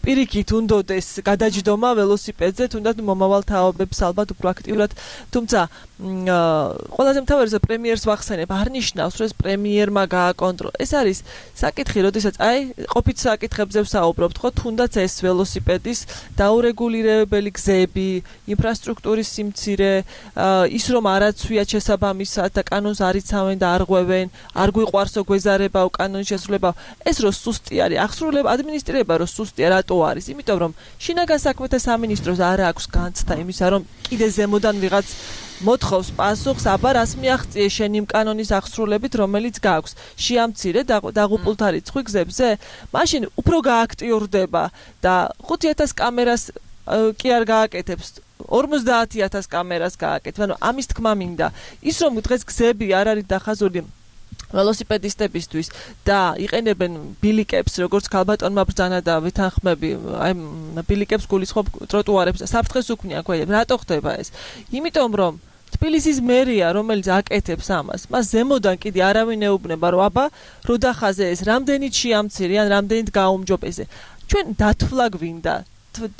პირიქით უნდოდეს გადაჯდომა ველოსიპედზე თუნდაც მომავალ თაობებს ალბათ უფრო აქტიურად თუმცა ყველაზე მთავარია პრემიერს ვახსენებ არ ნიშნავს რომ ეს პრემიერმა გააკონტროლა ეს არის საკითხი როდესაც აი ყოფით საკითხებზე ვსაუბრობთ ხო თუნდაც ეს ველოსიპედის დაურეგულირებელი გზები ინფრასტრუქტურის სიმცირე ის რომ არაცვია შესაბამისად და კანონს არ იცავენ და არ ღვევენ არ გვიყვარსო გვეზარებაო კანონის შესრულება ეს რო სუსტი არის აღსრულება ადმინისტრირება რო სუსტია რატო არის იმიტომ რომ შინაგან საქმეთა სამინისტროს არ აქვს განცდა იმისა რომ კიდე ზემოდან ვიღაც მოთხოვს პასუხს, აბა რას მიაღწიე შენ იმ კანონის აღსრულებით, რომელიც გაქვს. შეამცირე დაღუპულთა რიცხვი გზებზე, მაშინ უფრო გააქტიურდება და 5000 კამერას კი არ გააკეთებს. 50000 კამერას გააკეთებს. ანუ ამის თქმა მინდა. ის რომ დღეს გზები არ არის დახაზული ველოსიპედისტებისთვის და იყენებენ ბილიკებს, როგორც ქალბატონმა ბრძანა და ვითანხმები, აი ბილიკებს გულისხმობ ტროტუარებს, საფრთხეს უქმნიან ქვე. რატო ხდება ეს? იმიტომ რომ თბილისის მერია, რომელიც აკეთებს ამას, მას ზემოდან კიდე არავინ ეუბნება, რომ აბა რო დახაზე ეს, რამდენიც შეამცირე ან რამდენიც გაუმჯობესე. ჩვენ დათვლა გვინდა.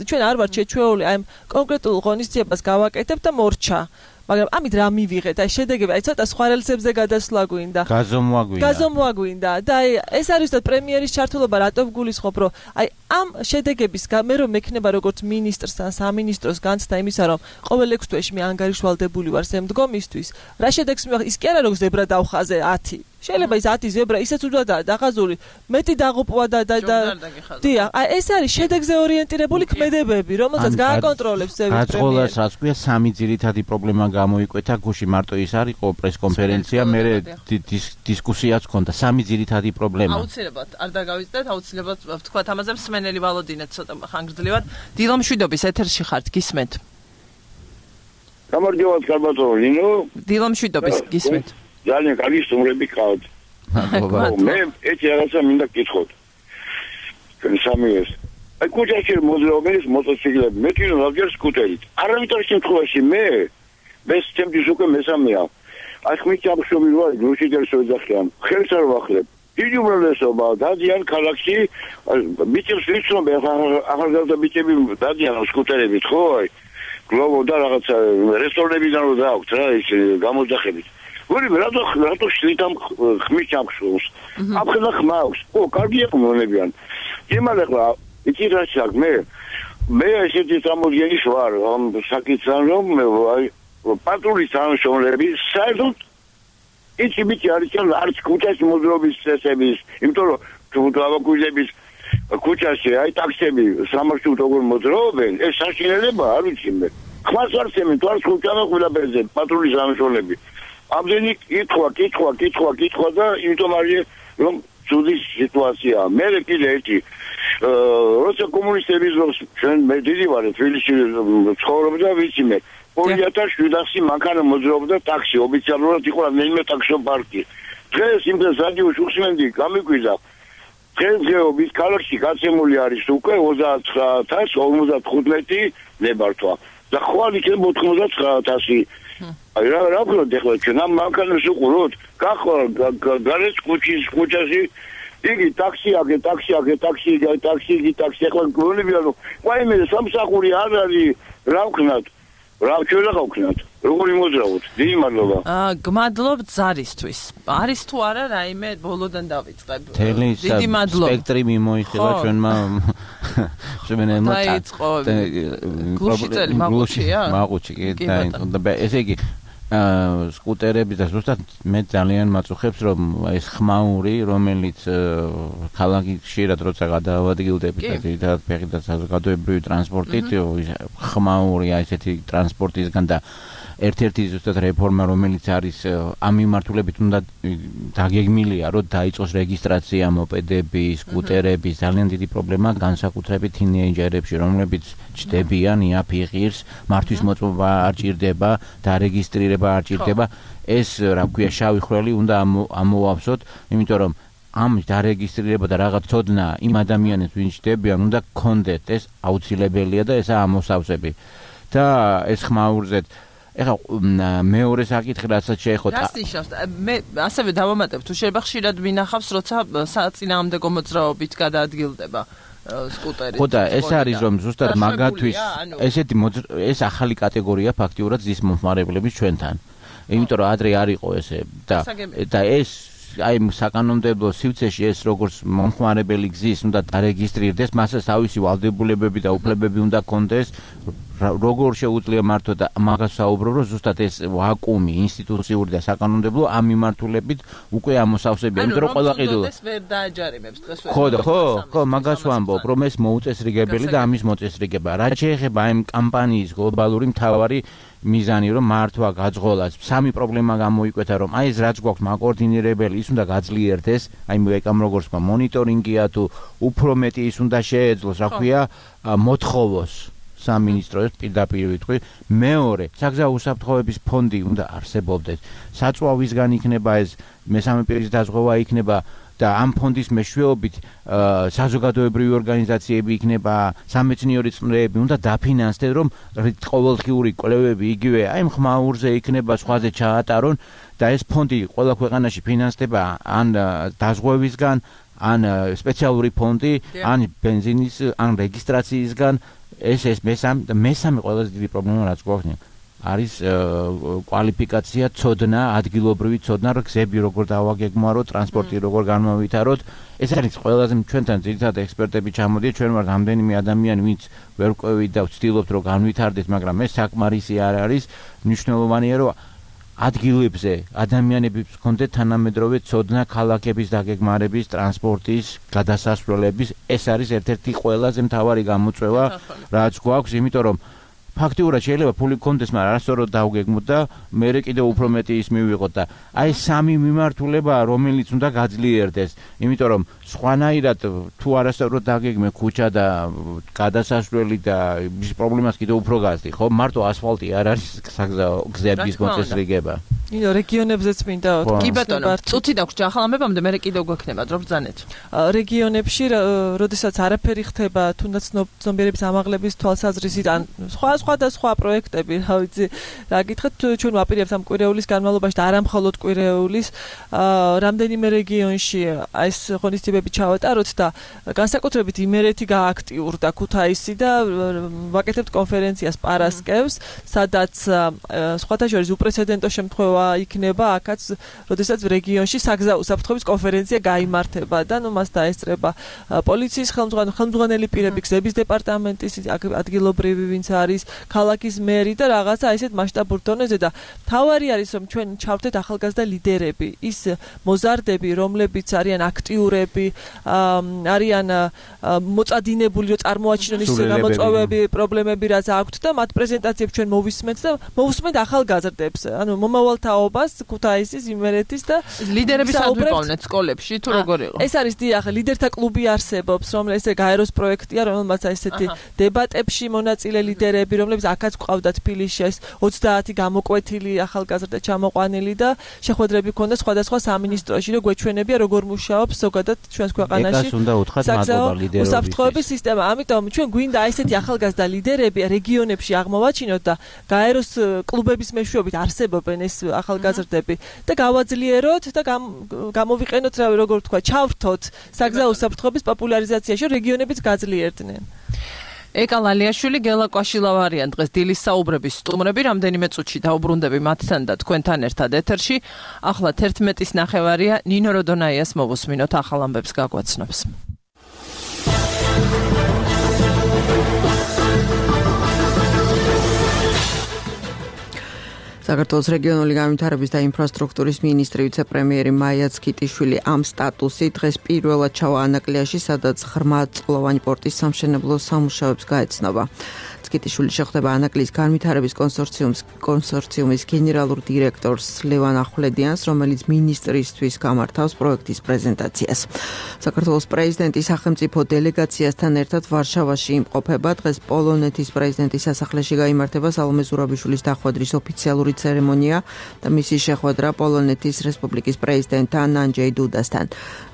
ჩვენ არ ვართ შეჩვეული აი კონკრეტულ ღონისძიებას გავაკეთებ და მორჩა. მაგრამ ამით რა მივიღეთ? აი შედეგები, აი ცოტა სხვა რელსებზე გადასვლა გვინდა. გაზომვა გვინდა. და აი ეს არის და პრემიერის ჩართულობა რატო გულისხმობ, რომ აი ამ შედეგების მე რომ მექნება როგორც მინისტრს ან სამინისტროს განცდა იმისა, რომ ყოველ 6 თვეში მე ანგარიშვალდებული ვარ შემდგომისთვის, რა შედეგს მივიღე? ის კი არა რომ ზებრა დავხაზე 10. შეიძლება ის 10 ზებრა ისეც უდვადაა დაღაზული, მეტი დაღუპვა და დიახ, აი ეს არის შედეგზე ორიენტირებული ქმედებები, რომელსაც გააკონტროლებს ზევის პრემიერი. გაწყოლას რაც ქვია სამი ძირითადი პრობლემა გამოიკვეთა გუში მარტო ის არ იყო პრესკონფერენცია, მე დისკუსიაც ჰქონდა სამი ძირითადი პრობლემა. აუცილებლად არ დაგავიწყდეთ, აუცილებლად ვთქვათ ამაზე მსმენელი ვალოდინეთ ცოტა ხანგრძლივად. დილომშვიდობის ეთერში ხართ, გისმენთ. გამარჯობათ ქალბატონო ნინო. დილომშვიდობის გისმენთ. ძალიან კარგი სტუმრები ყავთ. მე ერთი რაღაცა მინდა გკითხოთ. ჩვენ სამივეს. აი კუჭაში მოძრაობენ ეს მოტოციკლები, მე კიდევ რადგან სკუტერით. არავითარ შემთხვევაში მე ჩემთვის უკვე მესამეა. აი ხმით ამშობი ვარ, გრუშიდერს ვეძახიან. ხელს არ ვახლებ. დიდი უმრავლესობა დადიან ქალაქში, მიწებს ვიცნობ ახალგაზრდა ბიჭები დადიან სკუტერებით, ხო? აი გლოვო და რაღაცა რესტორნებიდან რო დააქვთ რა ის გამოძახებით. გული რატო შლიტამ ხმის ჩამხსოვს აფხელა ხმავს კარგია მომნებიან იმალეყლა იცი რა საქმე მე ესეთი სამოგენის ვარ ამ საკითხთან რომ აი პატრულის თანამშრომლები საერთოდ იცი მითი არის არც ქუჩას მოძრაობის წესების იმიტომ რომ თუნდაბაკუჟების ქუჩაში აი ტაქსები სამარშრუტო როგორ მოძრაობენ ეს საშინელება არ ვიცი მე ხმას არ წემენ თუ არც ქუჩანა ყველაფერზე პატრულის თანამშრომლები ამდენი კითხვა და იმიტომ არის რომ ცუდი სიტუაცია მე კიდე ერთი როცა კომუნისტები ზოგს ჩვენ მე დიდი ვარ თბილისში ცხოვრობდა ვიცი მე 2007 მანქანა მოძრაობდა ტაქსი ოფიციალურად იყო რამდენიმე ტაქსო პარკი დღეს იმ დროს რადიოში უხსენდი გამიკვირდა დღესდღეობით ქალაქში გაცემული არის უკვე 39,55 ნებართვა და ხვალ იქნება 99,000 აი რა ვქნათ ახლა ჩვენ ამ მანქანას უყუროთ გარეთ ქუჩაში იგი ტაქსი ახლა გონებია რომ ვაიმე სამსახური არ არის რა ვქნათ რა ჩვენ რა ვქნათ როგორი მოძრაობთ დიდი მადლობა გმადლობ ზარისთვის არის თუ არა რაიმე ბოლოდან დავიწყებ დიდი მადლობა სპექტრი მიმოიხილა ჩვენმა შემენელმა მაყუჩი და ესე იგი სკუტერები და ზუსტად მე ძალიან მაწუხებს რომ ეს ხმაური რომელიც ქალაქში ხშირად როცა გადაავადგილდებით და ფეხით და საზოგადოებრივი ტრანსპორტით ხმაური აი ესეთი ტრანსპორტისგან და ერთ-ერთი ზუსტად რეფორმა რომელიც არის ამ მიმართულებით უნდა დაგეგმილია რომ დაიწყოს რეგისტრაცია მოპედები, სკუტერების ძალიან დიდი პრობლემა განსაკუთრებით თინეიჯერებში რომლებიც ჩდებიან იაფიღირს მართვის მოწმობა არ ჭირდება და რეგისტრირება არ ჭირდება ეს რა ქვია შავი ხვრელი უნდა ამოვავსოთ იმიტომ რომ ამ დარეგისტრირება და რაღაც ცოდნა იმ ადამიანებს ვინც ჩდებიან უნდა გქონდეთ ეს აუცილებელია და ესა ამოსავსები და ეს ხმაურზეთ ეხლა მეორე საკითხი რასაც შეეხოთ რას ნიშნავს მე ასევე დავამატებ თუ შეიძლება ხშირად მინახავს როცა საწინააღმდეგო მოძრაობით გადაადგილდება სკუტერი ხო და ეს არის რომ ზუსტად მაგათვის ესეთი ეს ახალი კატეგორია ფაქტიურად ზის მომხმარებლების ჩვენთან იმიტომ რომ ადრე არ იყო ესე და ეს აი საკანონმდებლო სივრცეში ეს როგორც მომხმარებელი გზის უნდა დარეგისტრირდეს მასაც თავისი ვალდებულებები და უფლებები უნდა კონდეს როგორ შეუძლია მართო და მაგას საუბრო რომ ზუსტად ეს ვაკუუმი ინსტიტუციური და საკანონმდებლო ამ მიმართულებით უკვე ამოსავსებია იმიტომ რომ ყველა ყიდულო ეს ვერ დააჯარიმებს დღეს ხო მაგას ვამბობ რომ ეს მოუწესრიგებელი და ამის მოწესრიგება რაც შეეხება ამ კამპანიის გლობალური მთავარი მიზანი რომ მართვა გაძღოლას სამი პრობლემა გამოიკვეთა რომ აი ეს რაც გვაქვს მაკოორდინირებელი ის უნდა გაძლიერდეს აი მეკამ როგორც თქვა მონიტორინგია თუ უფრო მეტი ის უნდა შეეძლოს რა ქვია მოთხოვოს სამინისტროს პირდაპირ ვიტყვი მეორე საგზაო უსაფრთხოების ფონდი უნდა არსებობდეს საწვავისგან იქნება ეს მესამე პირის დაზღვევა იქნება და ამ ფონდის მეშვეობით საზოგადოებრივი ორგანიზაციები იქნება სამეცნიერო წრეები უნდა დაფინანსდეს რომ ყოველდღიური კვლევები იგივე აი ხმაურზე იქნება სხვაზე ჩაატარონ და ეს ფონდი ყველა ქვეყანაში ფინანსდება ან დაზღვევისგან ან სპეციალური ფონდი ან ბენზინის ან რეგისტრაციისგან ეს მესამე ყველაზე დიდი პრობლემა რაც გვაქვს არის კვალიფიკაცია, ცოდნა, ადგილობრივი ცოდნა, რომ გზები როგორ დავაგეგმარო, ტრანსპორტი როგორ განმავითაროთ. ეს არის ყველაზე ჩვენთან ძირითადად ექსპერტები ჩამოდიან, ჩვენ ვართ რამდენიმე ადამიანი, ვინც ვერ ყვევით და ვცდილობთ რომ განვითარდეთ, მაგრამ ეს საკმარისი არ არის. მნიშვნელოვანია რომ ადგილებზე ადამიანებს ჰქონდეთ თანამედროვე ცოდნა ქალაქების დაგეგმარების, ტრანსპორტის, გადასასვლელების. ეს არის ერთ-ერთი ყველაზე მთავარი გამოწვევა, რაც გვაქვს, იმიტომ რომ ფაქტიურად შეიძლება ფული გქონდეს, მაგრამ არასწორად დავგეგმოთ და მერე კიდევ უფრო მეტი ის მივიღოთ და აი სამი მიმართულება რომელიც უნდა გაძლიერდეს, იმიტომ რომ სხვანაირად თუ არასწორად დაგეგმე ქუჩა და გადასასვლელი და ის პრობლემას კიდევ უფრო გაზდი, ხო? მარტო ასფალტი არ არის საგზაო გზების მოწესრიგება. ინო რეგიონებზეც მინდა კი ბატონო, წუთი დაგვჭ ახალამებამდე მე კიდევ გვექნება დრო ბრძანეთ. რეგიონებში, როდესაც არაფერი ხდება, თუნდაც ცნობიერების ამაღლების თვალსაზრისით ან სხვა სხვადასხვა პროექტები, რა ვიცი, რა გითხრათ, ჩვენ ვაპირებთ ამ კვირეულის განმავლობაში და არა მხოლოდ კვირეულის, რამდენიმე რეგიონში ეს ღონისძიებები ჩავატაროთ და განსაკუთრებით იმერეთი გააქტიურდა ქუთაისი და ვაკეთებთ კონფერენციას პარასკევს, სადაც სხვათა შორის უპრეცედენტო შემთხვევა იქნება აქაც, როდესაც რეგიონში საგზაო უსაფრთხოების კონფერენცია გაიმართება და ნუ მას დაესწრება პოლიციის ხელმძღვანელი პირები, გზების დეპარტამენტის ადგილობრივი ვინც არის, ქალაქის მერი და რაღაცა ესეთ მასშტაბურ დონეზე და თავარი არის რომ ჩვენ ჩავთეთ ახალგაზრდა ლიდერები, ის მოზარდები, რომლებიც არიან აქტიურები, არიან მოწადინებული, რომ წარმოაჩინონ ის გამოწვევები, პრობლემები რაც აქვთ და მათ პრეზენტაციებს ჩვენ მოვისმენთ და მოვუსმენთ ახალგაზრდებს, ანუ მომავალ თაობას, ქუთაისის, იმერეთის და ლიდერების ადვიყვანეთ სკოლებში თუ როგორ იყო? ეს არის დიახ, ლიდერთა კლუბი არსებობს, რომელიც გაეროს პროექტია, რომელმაც ესეთი დებატებში მონაწილე ლიდერები, რომლებიც აქაც ყავდათ თბილისში 30 გამოკვეთილი ახალგაზრდა ჩამოყვანილი და შეხვედრები ქონდა სხვადასხვა სამინისტროში, რომ გვეჩვენებია როგორ მუშაობს ზოგადად ჩვენს ქვეყანაში. ეკას უნდა უთხრათ მადლობა ლიდერობის. უსაფრთხოების სისტემა, ამიტომ ჩვენ გვინდა ესეთი ახალგაზრდა ლიდერები რეგიონებში აღმოვაჩინოთ და გაეროს კლუბების მეშვეობით არსებობენ ეს ახალგაზრდები და გავაძლიეროთ და გამოვიყენოთ როგორ თქვა, ჩავრთოთ საგზაო უსაფრთხოების პოპულარიზაციაში, რეგიონებიც გაძლიერდნენ. ეკა ლალიაშვილი, გელა კვაშილავარიან დღეს დილის საუბრების სტუმრები, რამდენიმე წუთში დაუბრუნდები მათთან და თქვენთან ერთად ეთერში. ახლა 11:30-ია, ნინო როდონაიას მოვუსმინოთ ახალ ამბებს გაგვაცნობს. საქართველოს რეგიონული განვითარების და ინფრასტრუქტურის მინისტრი ვიცე-პრემიერი მაია ცქიტიშვილი ამ სტატუსით დღეს პირველად ჩავა ანაკლიაში, სადაც ღრმაწყლოვანი პორტის სამშენებლო სამუშაოებს გაეცნობა. ცქიტიშვილი შეხვდება ანაკლის განვითარების კონსორციუმის გენერალურ დირექტორს ლევან ახვლედიანს, რომელიც მინისტრისთვის გამართავს პროექტის პრეზენტაციას. საქართველოს პრეზიდენტი სახელმწიფო დელეგაციასთან ერთად ვარშავაში იმყოფება. დღეს პოლონეთის პრეზიდენტის სასახლეში გაიმართება სალომე ზურაბიშვილის დახვედრის ოფიციალური ცერემონია და მისი შეხვედრა პოლონეთის რესპუბლიკის პრეზიდენტთან ანჯეი დუდასთან.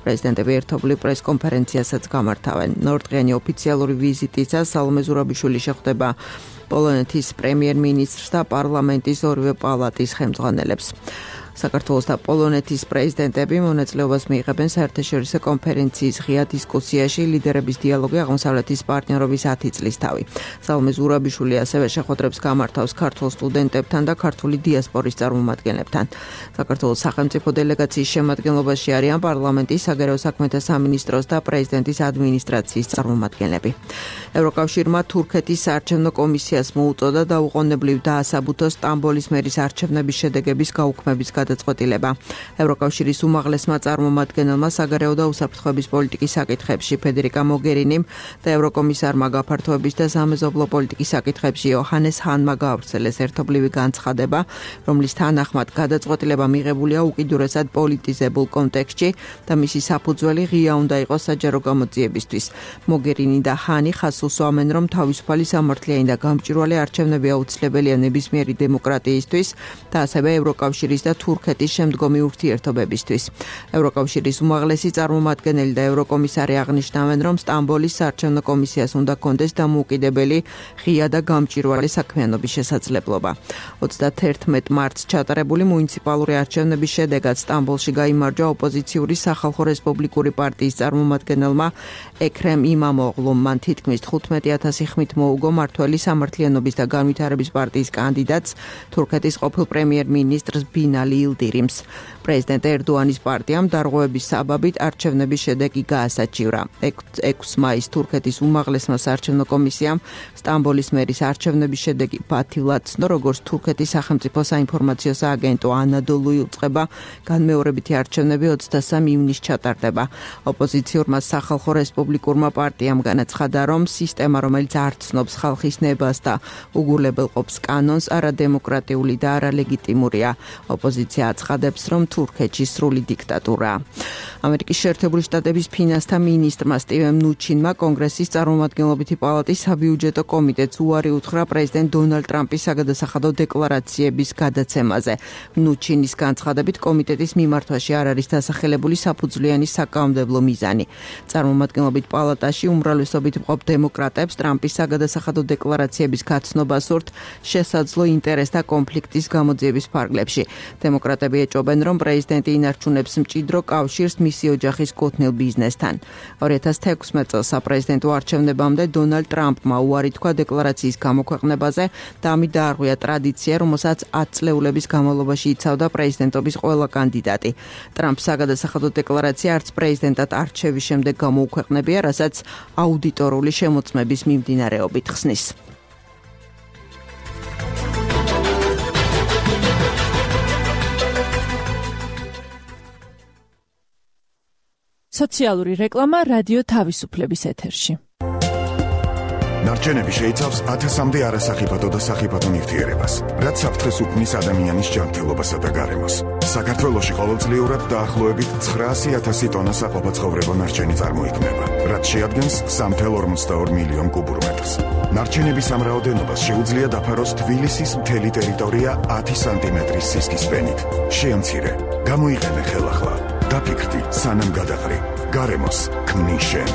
პრეზიდენტები ერთობლივ პრესკონფერენციასაც გამართავენ. ნორდღიანი ოფიციალური ვიზიტისას სალომე ზურაბიშვილი შეხვდება პოლონეთის პრემიერ-მინისტრს და პარლამენტის ორივე პალატის ხელმძღვანელებს. საქართველოს და პოლონეთის პრეზიდენტები მონაწილეობას მიიღებენ საერთაშორისო კონფერენციის ღია დისკუსიაში ლიდერების დიალოგი აღმოსავლეთის პარტნიორობის 10 წლის თავი. სალომე ზურაბიშვილი ასევე შეხვედრებს გამართავს ქართულ სტუდენტებთან და ქართული დიასპორის წარმომადგენლებთან. საქართველოს სახელმწიფო დელეგაციის შემადგენლობაში არიან პარლამენტის, საგარეო საქმეთა სამინისტროს და პრეზიდენტის ადმინისტრაციის წარმომადგენლები. ევროკავშირმა თურქეთის საარჩევნო კომისიას მოუწოდა დაუყოვნებლივ დაასაბუთო სტამბოლის მერის არჩევნების შედეგების გაუქმების გადაწყვეტილება. ევროკავშირის უმაღლესმა წარმომადგენელმა საგარეო და უსაფრთხოების პოლიტიკის საკითხებში ფედერიკა მოგერინიმ და ევროკომისარმა გაფართოების და სამეზობლო პოლიტიკის საკითხებში იოჰანეს ჰანმა გაავრცელეს ერთობლივი განცხადება, რომლის თანახმად გადაწყვეტილება მიღებულია უკიდურესად პოლიტიზებულ კონტექსტში და მისი საფუძველი ღია უნდა იყოს საჯარო გამოძიებისთვის. მოგერინი და ჰანი ხაზს უსვამენ, რომ თავისუფალი სამართლიანი და გამჭვირვალე არჩევნები აუცილებელია ნებისმიერი დემოკრატიისთვის და ასევე ევროკავშირის და თურქეთის შემდგომი ურთიერთობებისთვის. ევროკავშირის უმაღლესი წარმომადგენელი და ევროკომისარი აღნიშნავენ, რომ სტამბოლის საარჩევნო კომისიას უნდა კონდეს დამოუკიდებელი, ღია და გამჭვირვალე საქმიანობის შესაძლებლობა. 31 მარტს ჩატარებული მუნიციპალური არჩევნების შედეგად სტამბოლში გაიმარჯვა ოპოზიციური სახალხო რესპუბლიკური პარტიის წარმომადგენელმა ექრემ იმამოღლუმ. მან თითქმის 15,000 ხმით მოუგო მართველი სამართლიანობის და განვითარების პარტიის კანდიდატს, თურქეთის ყოფილ პრემიერ-მინისტრს ბინალი ილდირიმს. პრეზიდენტ ერდოანის პარტიამ დარღვევების საბაბით არჩევნების შედეგი გაასაჩივრა. 6 მაისს თურქეთის უმაღლესმა საარჩევნო კომისიამ სტამბოლის მერის არჩევნების შედეგი ბათილად ცნო, როგორც თურქეთის სახელმწიფო საინფორმაციო სააგენტო ანადოლუ იუწყება, განმეორებითი არჩევნები 23 ივნისს ჩატარდება. ოპოზიციურმა სახალხო რესპუბლიკურმა პარტიამ განაცხადა, რომ სისტემა, რომელიც არ ცნობს ხალხის ნებას და უგულებელყოფს კანონს, არადემოკრატიული და არალეგიტიმურია. ოპოზიცია აცხადებს, რომ თურქეთში სრული დიქტატურაა. ამერიკის შეერთებული შტატების ფინანსთა მინისტრმა სტივენ მნუჩინმა კონგრესის წარმომადგენლობითი პალატის საბიუჯეტო კომიტეტს უარი უთხრა პრეზიდენტ დონალდ ტრამპის საგადასახადო დეკლარაციების გადაცემაზე. მნუჩინის განცხადებით კომიტეტის მიმართვაში არ არის დასახელებული საფუძვლიანი საკანონმდებლო მიზანი. წარმომადგენლობით პალატაში უმრავლესობით მყოფ დემოკრატებს ტრამპის საგადასახადო დეკლარაციების გაცნობა სურთ შესაძლო ინტერესთა კონფლიქტის გამოძიების ფარგლებში. დემოკრატები ეჭობენ, რომ პრეზიდენტი ინარჩუნებს მჭიდრო კავშირს მისი ოჯახის კუთვნილ ბიზნესთან. 2016 წელს საპრეზიდენტო არჩევნებამდე დონალდ ტრამპმა უარი თქვა დეკლარაციის გამოქვეყნებაზე და ამით დაარღვია ტრადიცია, რომელსაც 10 წლეულების განმავლობაში იცავდა პრეზიდენტობის ყველა კანდიდატი. ტრამპს საგადასახადო დეკლარაცია არც პრეზიდენტად არჩევის შემდეგ გამოუქვეყნებია, რასაც აუდიტორული შემოწმების მიმდინარეობით ხსნის. სოციალური რეკლამა რადიო თავისუფლების ეთერში. ნარჩენები შეიცავს 1000-მდე არასახიფათო და სახიფათო ნივთიერებას, რაც საფრთხეს უქმნის ადამიანის ჯანმრთელობასა და გარემოს. საქართველოში ყოველწლიურად დაახლოებით 900,000 ტონა საყოფაცხოვრებო ნარჩენი წარმოიქმნება, რაც შეადგენს 3,42 მილიონ კუბურ მეტრს. ნარჩენების ამ რაოდენობას შეუძლია დაფაროს თბილისის მთელი ტერიტორია 10 სანტიმეტრის სისქის ფენით. შეამცირე, გამოიყენე ხელახლა. დაფიქრდი, სანამ გადაყრი. გარემოს ქმნის შენ.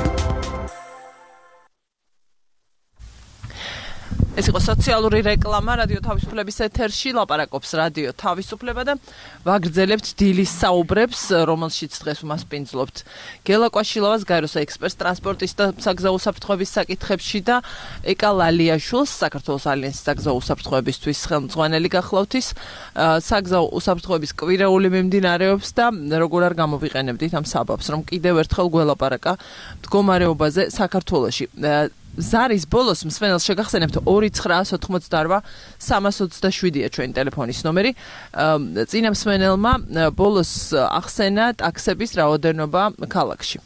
ეს იყო სოციალური რეკლამა რადიო თავისუფლების ეთერში, ლაპარაკობს რადიო თავისუფლება და ვაგრძელებთ დილის საუბრებს, რომელშიც დღეს უმასპინძლობთ გელა კვაშილოვას, გაეროს ექსპერტს ტრანსპორტის და საგზაო უსაფრთხოების საკითხებში და ეკა ლალიაშვილს, საქართველოს ალიანსის საგზაო უსაფრთხოებისთვის ხელმძღვანელი გახლავთ. საგზაო უსაფრთხოების კვირეული მიმდინარეობს და როგორ არ გამოვიყენებდით ამ საბაბს, რომ კიდევ ერთხელ გველაპარაკა მდგომარეობაზე საქართველოში. ზარის ბოლოს მსმენელს შეგახსენებთ 2988-327-ია ჩვენი ტელეფონის ნომერი. წინა მსმენელმა ბოლოს ახსენა ტაქსების რაოდენობა ქალაქში.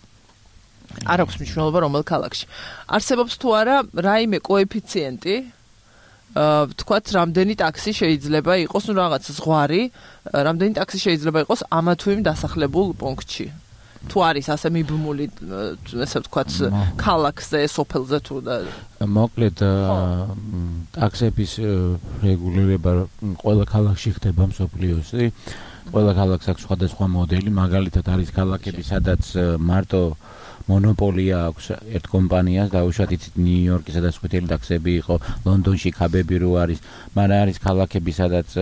არ აქვს მნიშვნელობა რომელ ქალაქში. არსებობს თუ არა რაიმე კოეფიციენტი, თქვათ რამდენი ტაქსი შეიძლება იყოს, ну რაღაც ზღვარი, რამდენი ტაქსი შეიძლება იყოს ამა თუ იმ დასახლებულ პუნქტში. თუ არის ასე მიბმული, ესე ვთქვათ, ქალაქზე, სოფელზე თუ და მოკლედ ტაქსების რეგულირება ყველა ქალაქში ხდება მსოფლიოში. ყველა ქალაქს აქვს სხვადასხვა მოდელი, მაგალითად არის ქალაქები, სადაც მარტო მონოპოლია აქვს ერთ კომპანიას, დაუშვათ იცით ნიუ-იორკი, სადაც ხუთელი ტაქსები იყო, ლონდონში ქაბები რო არის, მაგრამ არის ქალაქები, სადაც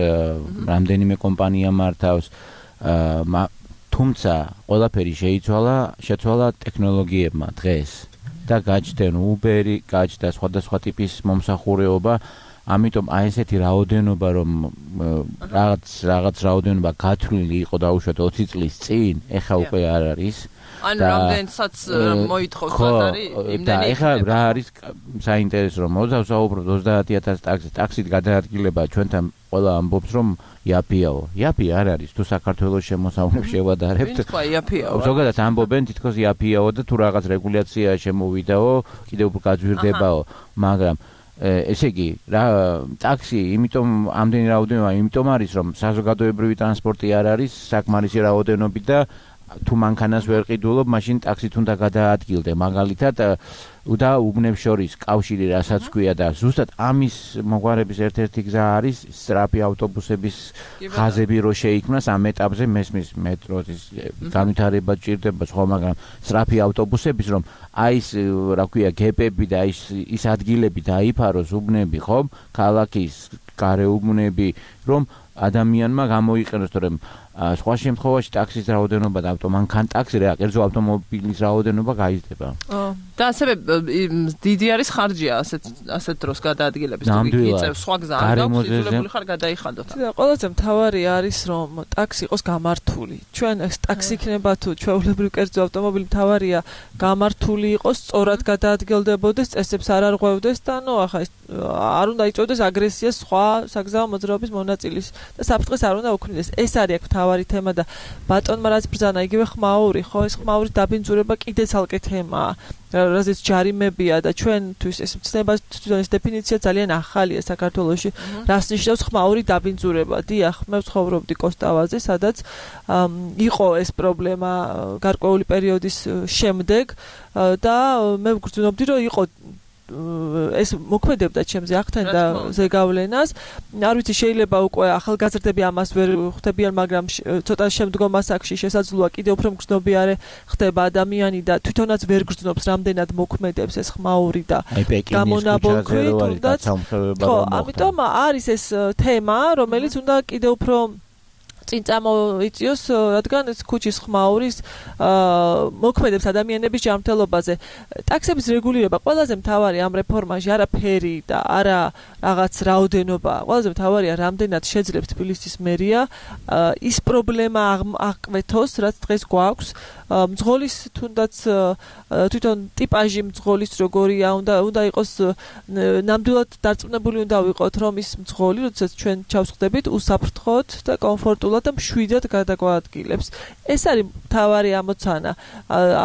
რამდენიმე კომპანია მართავს. თუმცა ყველაფერი შეცვალა ტექნოლოგიებმა დღეს და გაჩნდნენ Uber-ი, გაჩნდა სხვადასხვა ტიპის მომსახურეობა, ამიტომ აი ესეთი რაოდენობა, რომ რაღაც რაოდენობა გათვლილი იყო დაუშვათ 20 წლის წინ, ეხა უკვე არ არის. ანუ რამდენსაც მოითხოვს არის იმდენი. ეხა რა არის საინტერესო, რომ მოვსაუბროთ 30,000 ტაქსით გადაადგილება ჩვენთან ყველა ამბობს, რომ იაფიაო. იაფი არ არის, თუ საქართველოს შემოსავლებს შევადარებთ. ზოგადად ამბობენ თითქოს იაფიაო და თუ რაღაც რეგულაცია შემოვიდაო, კიდევ უფრო გაძვირდებაო, მაგრამ ესე იგი, ტაქსი, იმიტომ ამდენი რაოდენობა, იმიტომ არის, რომ საზოგადოებრივი ტრანსპორტი არ არის საკმარისი რაოდენობით და თუ მანქანას ვერ ყიდულობ, მაშინ ტაქსით უნდა გადაადგილდე. მაგალითად, და უბნებს შორის კავშირი რასაც ქვია და ზუსტად ამის მოგვარების ერთ-ერთი გზა არის სწრაფი ავტობუსების ხაზები რო შეიქმნას ამ ეტაპზე მესმის მეტროს განვითარება ჭირდება სხვა, მაგრამ სწრაფი ავტობუსების რომ აი ეს რა ქვია გეპები და ის ადგილები დაიფაროს უბნები, ხო? ქალაქის გარეუბნები, რომ ადამიანმა გამოიყენოს, თორემ სხვა შემთხვევაში ტაქსის რაოდენობა და ტაქსი რა, კერძო ავტომობილის რაოდენობა გაიზრდება. და ასევე დიდი არის ხარჯია ასეთ დროს გადაადგილების, თუ იწევს სხვა გზა არ გაქვს, იძულებული ხარ გადაიხადოთ. და ყველაზე მთავარი არის, რომ ტაქსი იყოს გამართული. ჩვენ ეს ტაქსი იქნება თუ ჩვეულებრივი კერძო ავტომობილი, მთავარია გამართული იყოს, სწორად გადაადგილდებოდეს, წესებს არ არღვევდეს და ახლა არ უნდა იწვევდეს აგრესიას სხვა საგზაო მოძრაობის მონაწილის და საფრთხეს არ უნდა უქმნიდეს. ეს არის მთავარი თემა და ბატონმა რაც ბრძანა იგივე ხმაური, ხო, ეს ხმაურის დაბინძურება კიდე ცალკე თემაა. რაზეც ჯარიმებია და ჩვენთვის ეს მცნება თვითონ ეს დეფინიცია ძალიან ახალია საქართველოში. რას ნიშნავს ხმაური დაბინძურება? დიახ, მე ვცხოვრობდი კოსტავაზე, სადაც იყო ეს პრობლემა გარკვეული პერიოდის შემდეგ და მე ვგრძნობდი, რომ იყო ეს მოქმედებდა ჩემზე ახთენ და ზეგავლენას. არ ვიცი, შეიძლება უკვე ახალგაზრდები ამას ვერ ხვდებიან, მაგრამ ცოტა შემდგომ ასაკში შესაძლოა კიდევ უფრო მგრძნობიარე ხდება ადამიანი და თვითონაც ვერ გრძნობს რამდენად მოქმედებს ეს ხმაური და გამონაბოლქვი თუნდაც. ხო, ამიტომ არის ეს თემა, რომელიც უნდა კიდევ უფრო წინ წამოიწიოს, რადგან ეს ქუჩის ხმაურის მოქმედებს ადამიანების ჯანმრთელობაზე. ტაქსების რეგულირება ყველაზე მთავარი ამ რეფორმაში არა ფერი და არა რაღაც რაოდენობა. ყველაზე მთავარია რამდენად შეძლებს თბილისის მერია ის პრობლემა აღკვეთოს, რაც დღეს გვაქვს. მძღოლის თუნდაც თვითონ ტიპაჟი მძღოლის როგორია, უნდა იყოს ნამდვილად დარწმუნებული უნდა ვიყოთ, რომ ის მძღოლი, როდესაც ჩვენ ჩავსხდებით, უსაფრთხოდ და კომფორტულად და მშვიდად გადაგვაადგილებს. ეს არის მთავარი ამოცანა.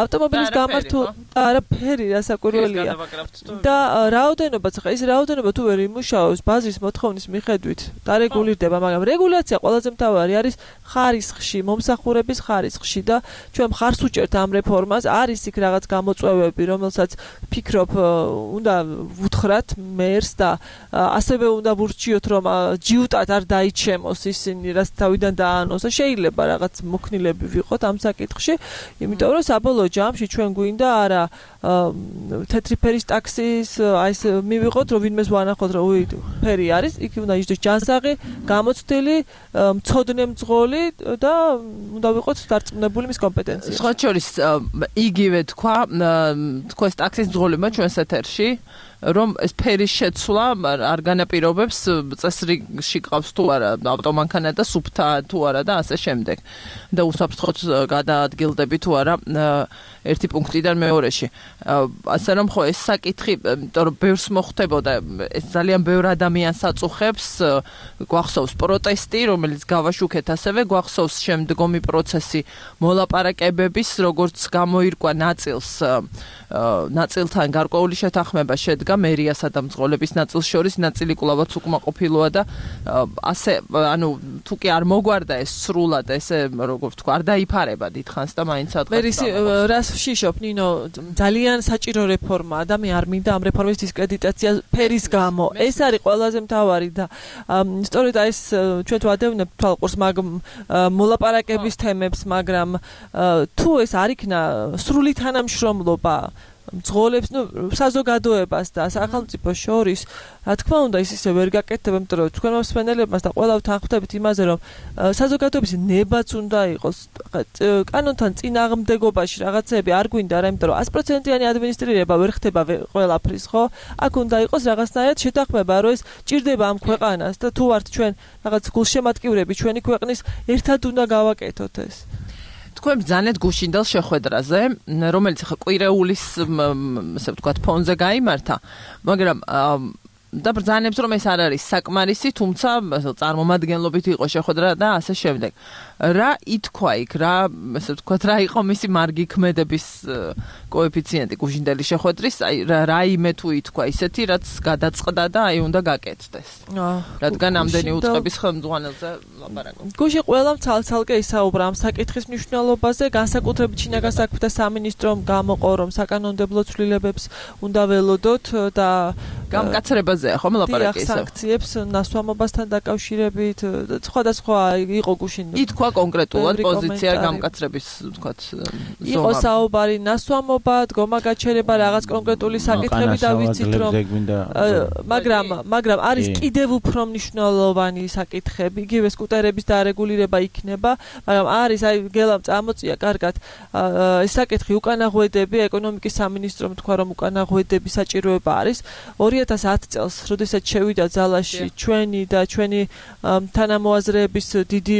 ავტომობილის გამართულ არაფერი რასაკვირველია. და რაოდენობაც ხა ის რაოდენობა თუ ვერ იმუშავებს ბაზრის მოთხოვნის მიხედვით დარეგულირდება, მაგრამ რეგულაცია ყველაზე მთავარი არის ხარისხში, მომსახურების ხარისხში და ჩვენ მხარს უჭერთ ამ რეფორმას. არის იქ რაღაც გამოწვევები, რომელსაც ფიქრობ უნდა ვუთხრათ მერს და ასევე უნდა ვურჩიოთ, რომ ჯიუტად არ დაიჩემოს ისინი, რაც თავიდან დაანონსა. შეიძლება რაღაც მოქნილები ვიყოთ ამ საკითხში, იმიტომ რომ საბოლოო ჯამში ჩვენ გვინდა არა თეთრი ფერის ტაქსის აი ეს მივიღოთ, რომ ვინმეს ვანახოთ, რომ ფერი არის, იქ უნდა იჯდეს ჯანსაღი, გამოცდილი, მცოდნე მძღოლი და უნდა ვიყოთ დარწმუნებული მის კომპეტენციაში. სხვა შორის იგივე თქვა ტაქსის მძღოლებმა ჩვენს ეთერში, რომ ეს ფერის შეცვლა არ განაპირობებს წესრიგში ყავს თუ არა ავტომანქანა და სუფთა თუ არა და ასე შემდეგ და უსაფრთხოდ გადაადგილდები თუ არა ერთი პუნქტიდან მეორეში. ასე რომ ხო ეს საკითხი, იმიტომ რომ ბევრს მოხდებოდა, ეს ძალიან ბევრ ადამიანს აწუხებს, გვახსოვს პროტესტი, რომელიც გავაშუქეთ, ასევე გვახსოვს შემდგომი პროცესი მოლაპარაკებების, როგორც გამოირკვა ნაწილთან გარკვეული შეთანხმება შედგა მერიასა და მძღოლების ნაწილს შორის, ნაწილი კვლავაც უკმაყოფილოა და ასე, ანუ თუ კი არ მოგვარდა ეს სრულად, ესე როგორ ვთქვა, არ დაიფარება დიდხანს და მაინც ადღაც. რას ვშიშობ, ნინო, ძალიან საჭირო რეფორმა, ადამიანი არ მინდა ამ რეფორმის დისკრედიტაცია ფერის გამო. ეს არის ყველაზე მთავარი და სწორედ ეს ჩვენ თუ ადევნებთ თვალყურს მაგ მოლაპარაკების თემებს, მაგრამ თუ ეს არ იქნა სრული თანამშრომლობა მძღოლებს, საზოგადოებას და სახელმწიფოს შორის, რა თქმა უნდა, ის ისე ვერ გაკეთდება, იმიტომ რომ თქვენ მოსმენელებმაც და ყველა თანხმდებით იმაზე, რომ საზოგადოების ნებაც უნდა იყოს კანონთან წინააღმდეგობაში რაღაცები არ გვინდა, არა, იმიტომ რომ 100%-იანი ადმინისტრირება ვერ ხდება ყველაფრის, ხო? აქ უნდა იყოს რაღაცნაირად შეთანხმება, რომ ეს ჭირდება ამ ქვეყანას და თუ ვართ ჩვენ რაღაც გულშემატკივრები ჩვენი ქვეყნის, ერთად უნდა გავაკეთოთ ეს. თქვენ ბრძანეთ გუშინდელ შეხვედრაზე, რომელიც ხა კვირეულის, ასე ვთქვათ, ფონზე გაიმართა, მაგრამ და ბრძანებს, რომ ეს არ არის საკმარისი, თუმცა წარმომადგენლობით იყო შეხვედრა და ასე შემდეგ. რა ითქვა იქ, ასე ვთქვათ, რა იყო მისი მარგი ქმედების კოეფიციენტი გუშინდელი შეხვედრის, აი რაიმე თუ ითქვა ისეთი, რაც გადაწყდა და აი უნდა გაკეთდეს. რადგან ამდენი უწყების ხელმძღვანელზე ლაპარაკობ. გუში ყველამ ცალ-ცალკე ისაუბრა ამ საკითხის მნიშვნელობაზე, განსაკუთრებით შინაგან საქმეთა სამინისტრომ გამოყო, რომ საკანონმდებლო ცვლილებებს უნდა ველოდოთ და გამკაცრებაზეა ხომ ლაპარაკი ისე. სანქციებს ნასვამობასთან დაკავშირებით, სხვადასხვა იყო გუშინ. ითქვა კონკრეტულად პოზიცია გამკაცრების, ვთქვათ, იყო საუბარი ნასვამობა, დგომა გაჩერება, რაღაც კონკრეტული საკითხები და ვიცით რომ მაგრამ არის კიდევ უფრო მნიშვნელოვანი საკითხები, იგივე სკუტერების დარეგულირება იქნება, მაგრამ არის აი გელამ წამოწია კარგად ეს საკითხი უკანაღვედები, ეკონომიკის სამინისტრომ თქვა რომ უკანაღვედები საჭიროება არის 2010 წელს, როდესაც შევიდა ძალაში ჩვენი და ჩვენი თანამოაზრეების დიდი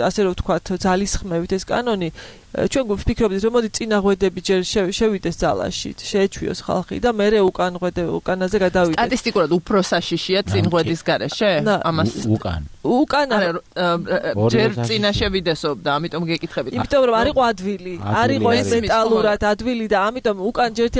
ასე რომ ვთქვათ ძალისხმევით ეს კანონი ჩვენ ვფიქრობთ რომ მოდი წინაღვედები ჯერ შევიდეს ძალაში, შეეჩვიოს ხალხი და მერე უკანაზე გადავიდეთ. სტატისტიკურად უფრო საშიშია წინღვედის გარეშე? ამას უკან ჯერ წინა შევიდესო და ამიტომ გეკითხებით. იმიტომ რომ არისო ადვილი, არისო ეს მეტალურად ადვილი და ამიტომ უკან ჯერთი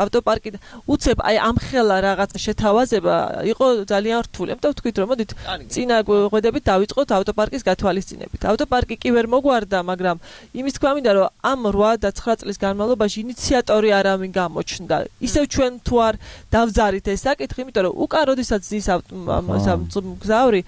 ავტოპარკი უცებ აი ამხელა რაღაც შეთავაზება იყო ძალიან რთული. ამიტომ თქვით რომ მოდით წინაღვედებით დავიწყოთ ავტოპარკის გათვალისწინებით. ავტოპარკი კი ვერ მოგვარდა, მაგრამ იმის თქმა მინდა რომ ამ 8 და 9 წლის განმავლობაში ინიციატორი არავინ გამოჩნდა. ისევ ჩვენ თუ არ დავზარით ეს საკითხი, იმიტომ რომ უკან როდესაც ზის მგზავრი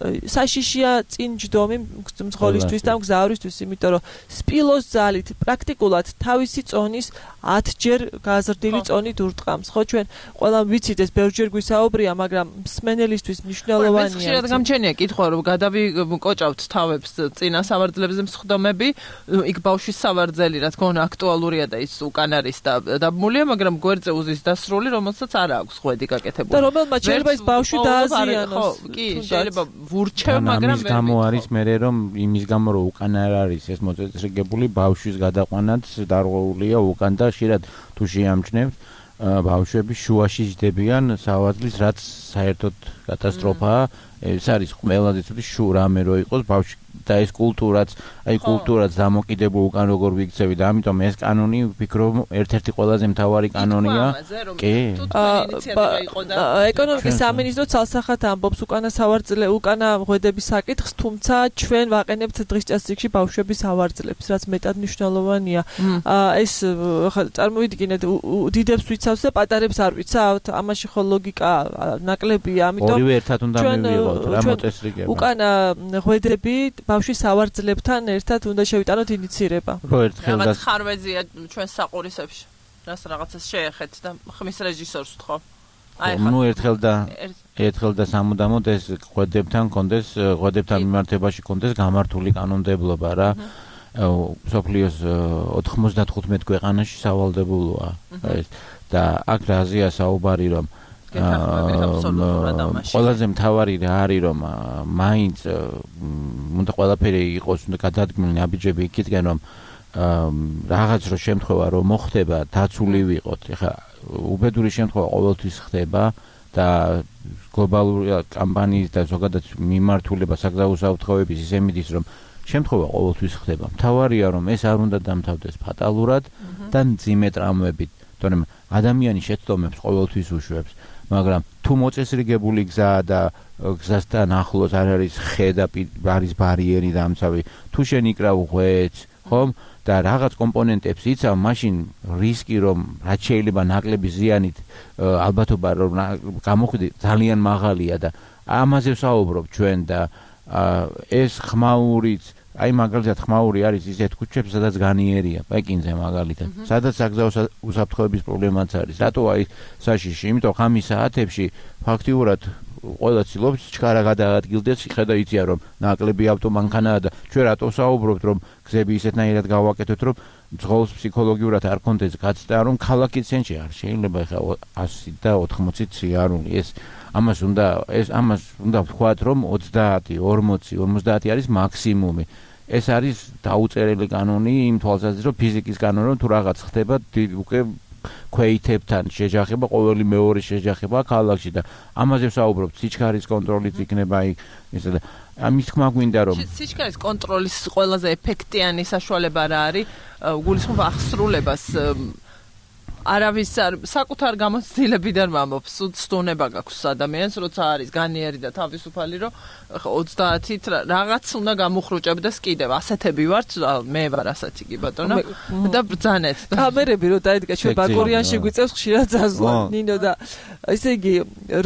საშიშია წინ ჯდომი მძღოლისთვის და მგზავრისთვის, იმიტომ რომ სპილოს ძალით პრაქტიკულად თავისი წონის 10 ჯერ გაზრდილი წონით ურტყამს. ხო ჩვენ ყველა ვიცით ეს ბევრჯერ გვისაუბრია, მაგრამ მსმენელისთვის მნიშვნელოვანია. ხშირად გამჩენია კითხვა რომ გადავიკოჭავთ თავებს წინა სავარძელებზე მსხდომები, იქ ბავშვის სავარძელი რა თქმა უნდა აქტუალურია და ის უკან არის და დაბმულია, მაგრამ გვერდზე უზის დასრული, რომელსაც არ აქვს ღვედი გაკეთებული. და რომელმაც შეიძლება ის ბავშვი დააზიანოს. ხო, კი, შეიძლება ვურჩევ, მაგრამ ამის გამო არის მერე რომ იმის გამო რომ უკან არ არის ეს მოწესრიგებული ბავშვის გადაყვანაც დარღვეულია უკან და ხშირად თუ შეამჩნევთ ბავშვები შუაში ჯდებიან სავარძლის, რაც საერთოდ კატასტროფაა. ეს არის ყველაზე ცუდი რამე რო იყოს ბავშვი და ეს კულტურაც დამოკიდებულ უკან როგორ ვიქცევი და ამიტომ ეს კანონი ვფიქრობ ერთ-ერთი ყველაზე მთავარი კანონია. კი. ეკონომიკის სამინისტრო ცალსახად ამბობს უკანა ღვედების საკითხს, თუმცა ჩვენ ვაყენებთ დღის წესრიგში ბავშვების სავარძლებს, რაც მეტად მნიშვნელოვანია. ეს წარმოვიდგინეთ, დიდებს ვიცავს და პატარებს არ ვიცავთ, ამაში ხო ლოგიკა ნაკლებია, ამიტომ ორივე ერთად უნდა მივიღოთ რა მოწესრიგება. უკანა ღვედები ბავშვის სავარძლებთან ერთად უნდა შევიტანოთ ინიცირება. რაღაც ხარვეზია ჩვენ საყურისებში. რას რაღაცას შეეხეთ და ხმის რეჟისორს ვთხოვ. ნუ ერთხელ და სამუდამოდ ეს ღვედებთან მიმართებაში კონდეს გამართული კანონმდებლობა რა. სოფლიოს 95 ქვეყანაში სავალდებულოა ეს და აქ რაზეა საუბარი რომ ყველაზე მთავარი რა არის რომ მაინც უნდა ყველაფერი იყოს უნდა გადადგმული ნაბიჯები იქითკენ რომ რაღაც რო შემთხვევა რომ მოხდება დაცული ვიყოთ. ეხლა უბედური შემთხვევა ყოველთვის ხდება და გლობალური კამპანიის და ზოგადად მიმართულება საგზაო საუთხოვების ისე მიდის რომ შემთხვევა ყოველთვის ხდება. მთავარია რომ ეს არ უნდა დამთავრდეს ფატალურად და მძიმე ტრამვებით, თორემ ადამიანი შეცდომებს ყოველთვის უშვებს. მაგრამ თუ მოწესრიგებული გზაა და გზასთან ახლოს არ არის ხე და არის ბარიერი და ამცავი, თუ შენ იკრავ ღვეძს, ხომ? და რაღაც კომპონენტებს იცავ, მაშინ რისკი რომ რაც შეიძლება ნაკლები ზიანით ალბათობა რომ გამოხვიდე ძალიან მაღალია და ამაზე ვსაუბრობ ჩვენ და ეს ხმაურიც აი მაგალითად ხმაური არის ისეთ ქუჩებში სადაც განიერია პეკინზე მაგალითად სადაც საგზაო უსაფრთხოების პრობლემაც არის რატო აი საშიში იმიტომ ხამის საათებში ფაქტიურად ყველა ცდილობს ჩქარა გადაადგილდეს ხედა იციან რომ ნაკლები ავტომანქანაა და ჩვენ რატო საუბრობთ რომ გზები ისეთნაირად გავაკეთოთ რომ ძღოლს ფსიქოლოგიურად არ კონდეს გაცდა რომ ქალაქის ცენტრში არ შეიძლება ხა 100 და 80 ციარული ამას უნდა ვთქვათ რომ 30 40 50 არის მაქსიმუმი ეს არის დაუწერელი კანონი იმ თვალსაზრისით რომ ფიზიკის კანონი რომ თუ რაღაც ხდება უკვე ქვეითებთან შეჯახება ყოველი მეორე შეჯახება ქალაქში და ამაზე ვსაუბრობთ სიჩქარის კონტროლიც იქნება ისე და ამის თქმა გვინდა რომ სიჩქარის კონტროლის ყველაზე ეფექტიანი საშუალება რა არის გულისხმობ ახსრულებას არავის საკუთარ გამოცდილებიდან მამობს უცდონება გაქვს ადამიანს როცა არის განიერი და თავისუფალი რომ 30-ით რაღაც უნდა გამოხრუჭებდეს კიდევ ასეთები ვართ მე ვარ ასეთი კი ბატონო და ბრძანეთ კამერები რო დაიდგა ჩვენ ბაკურიანში გვიწევს ხშირად ზაზლა ნინო და ესე იგი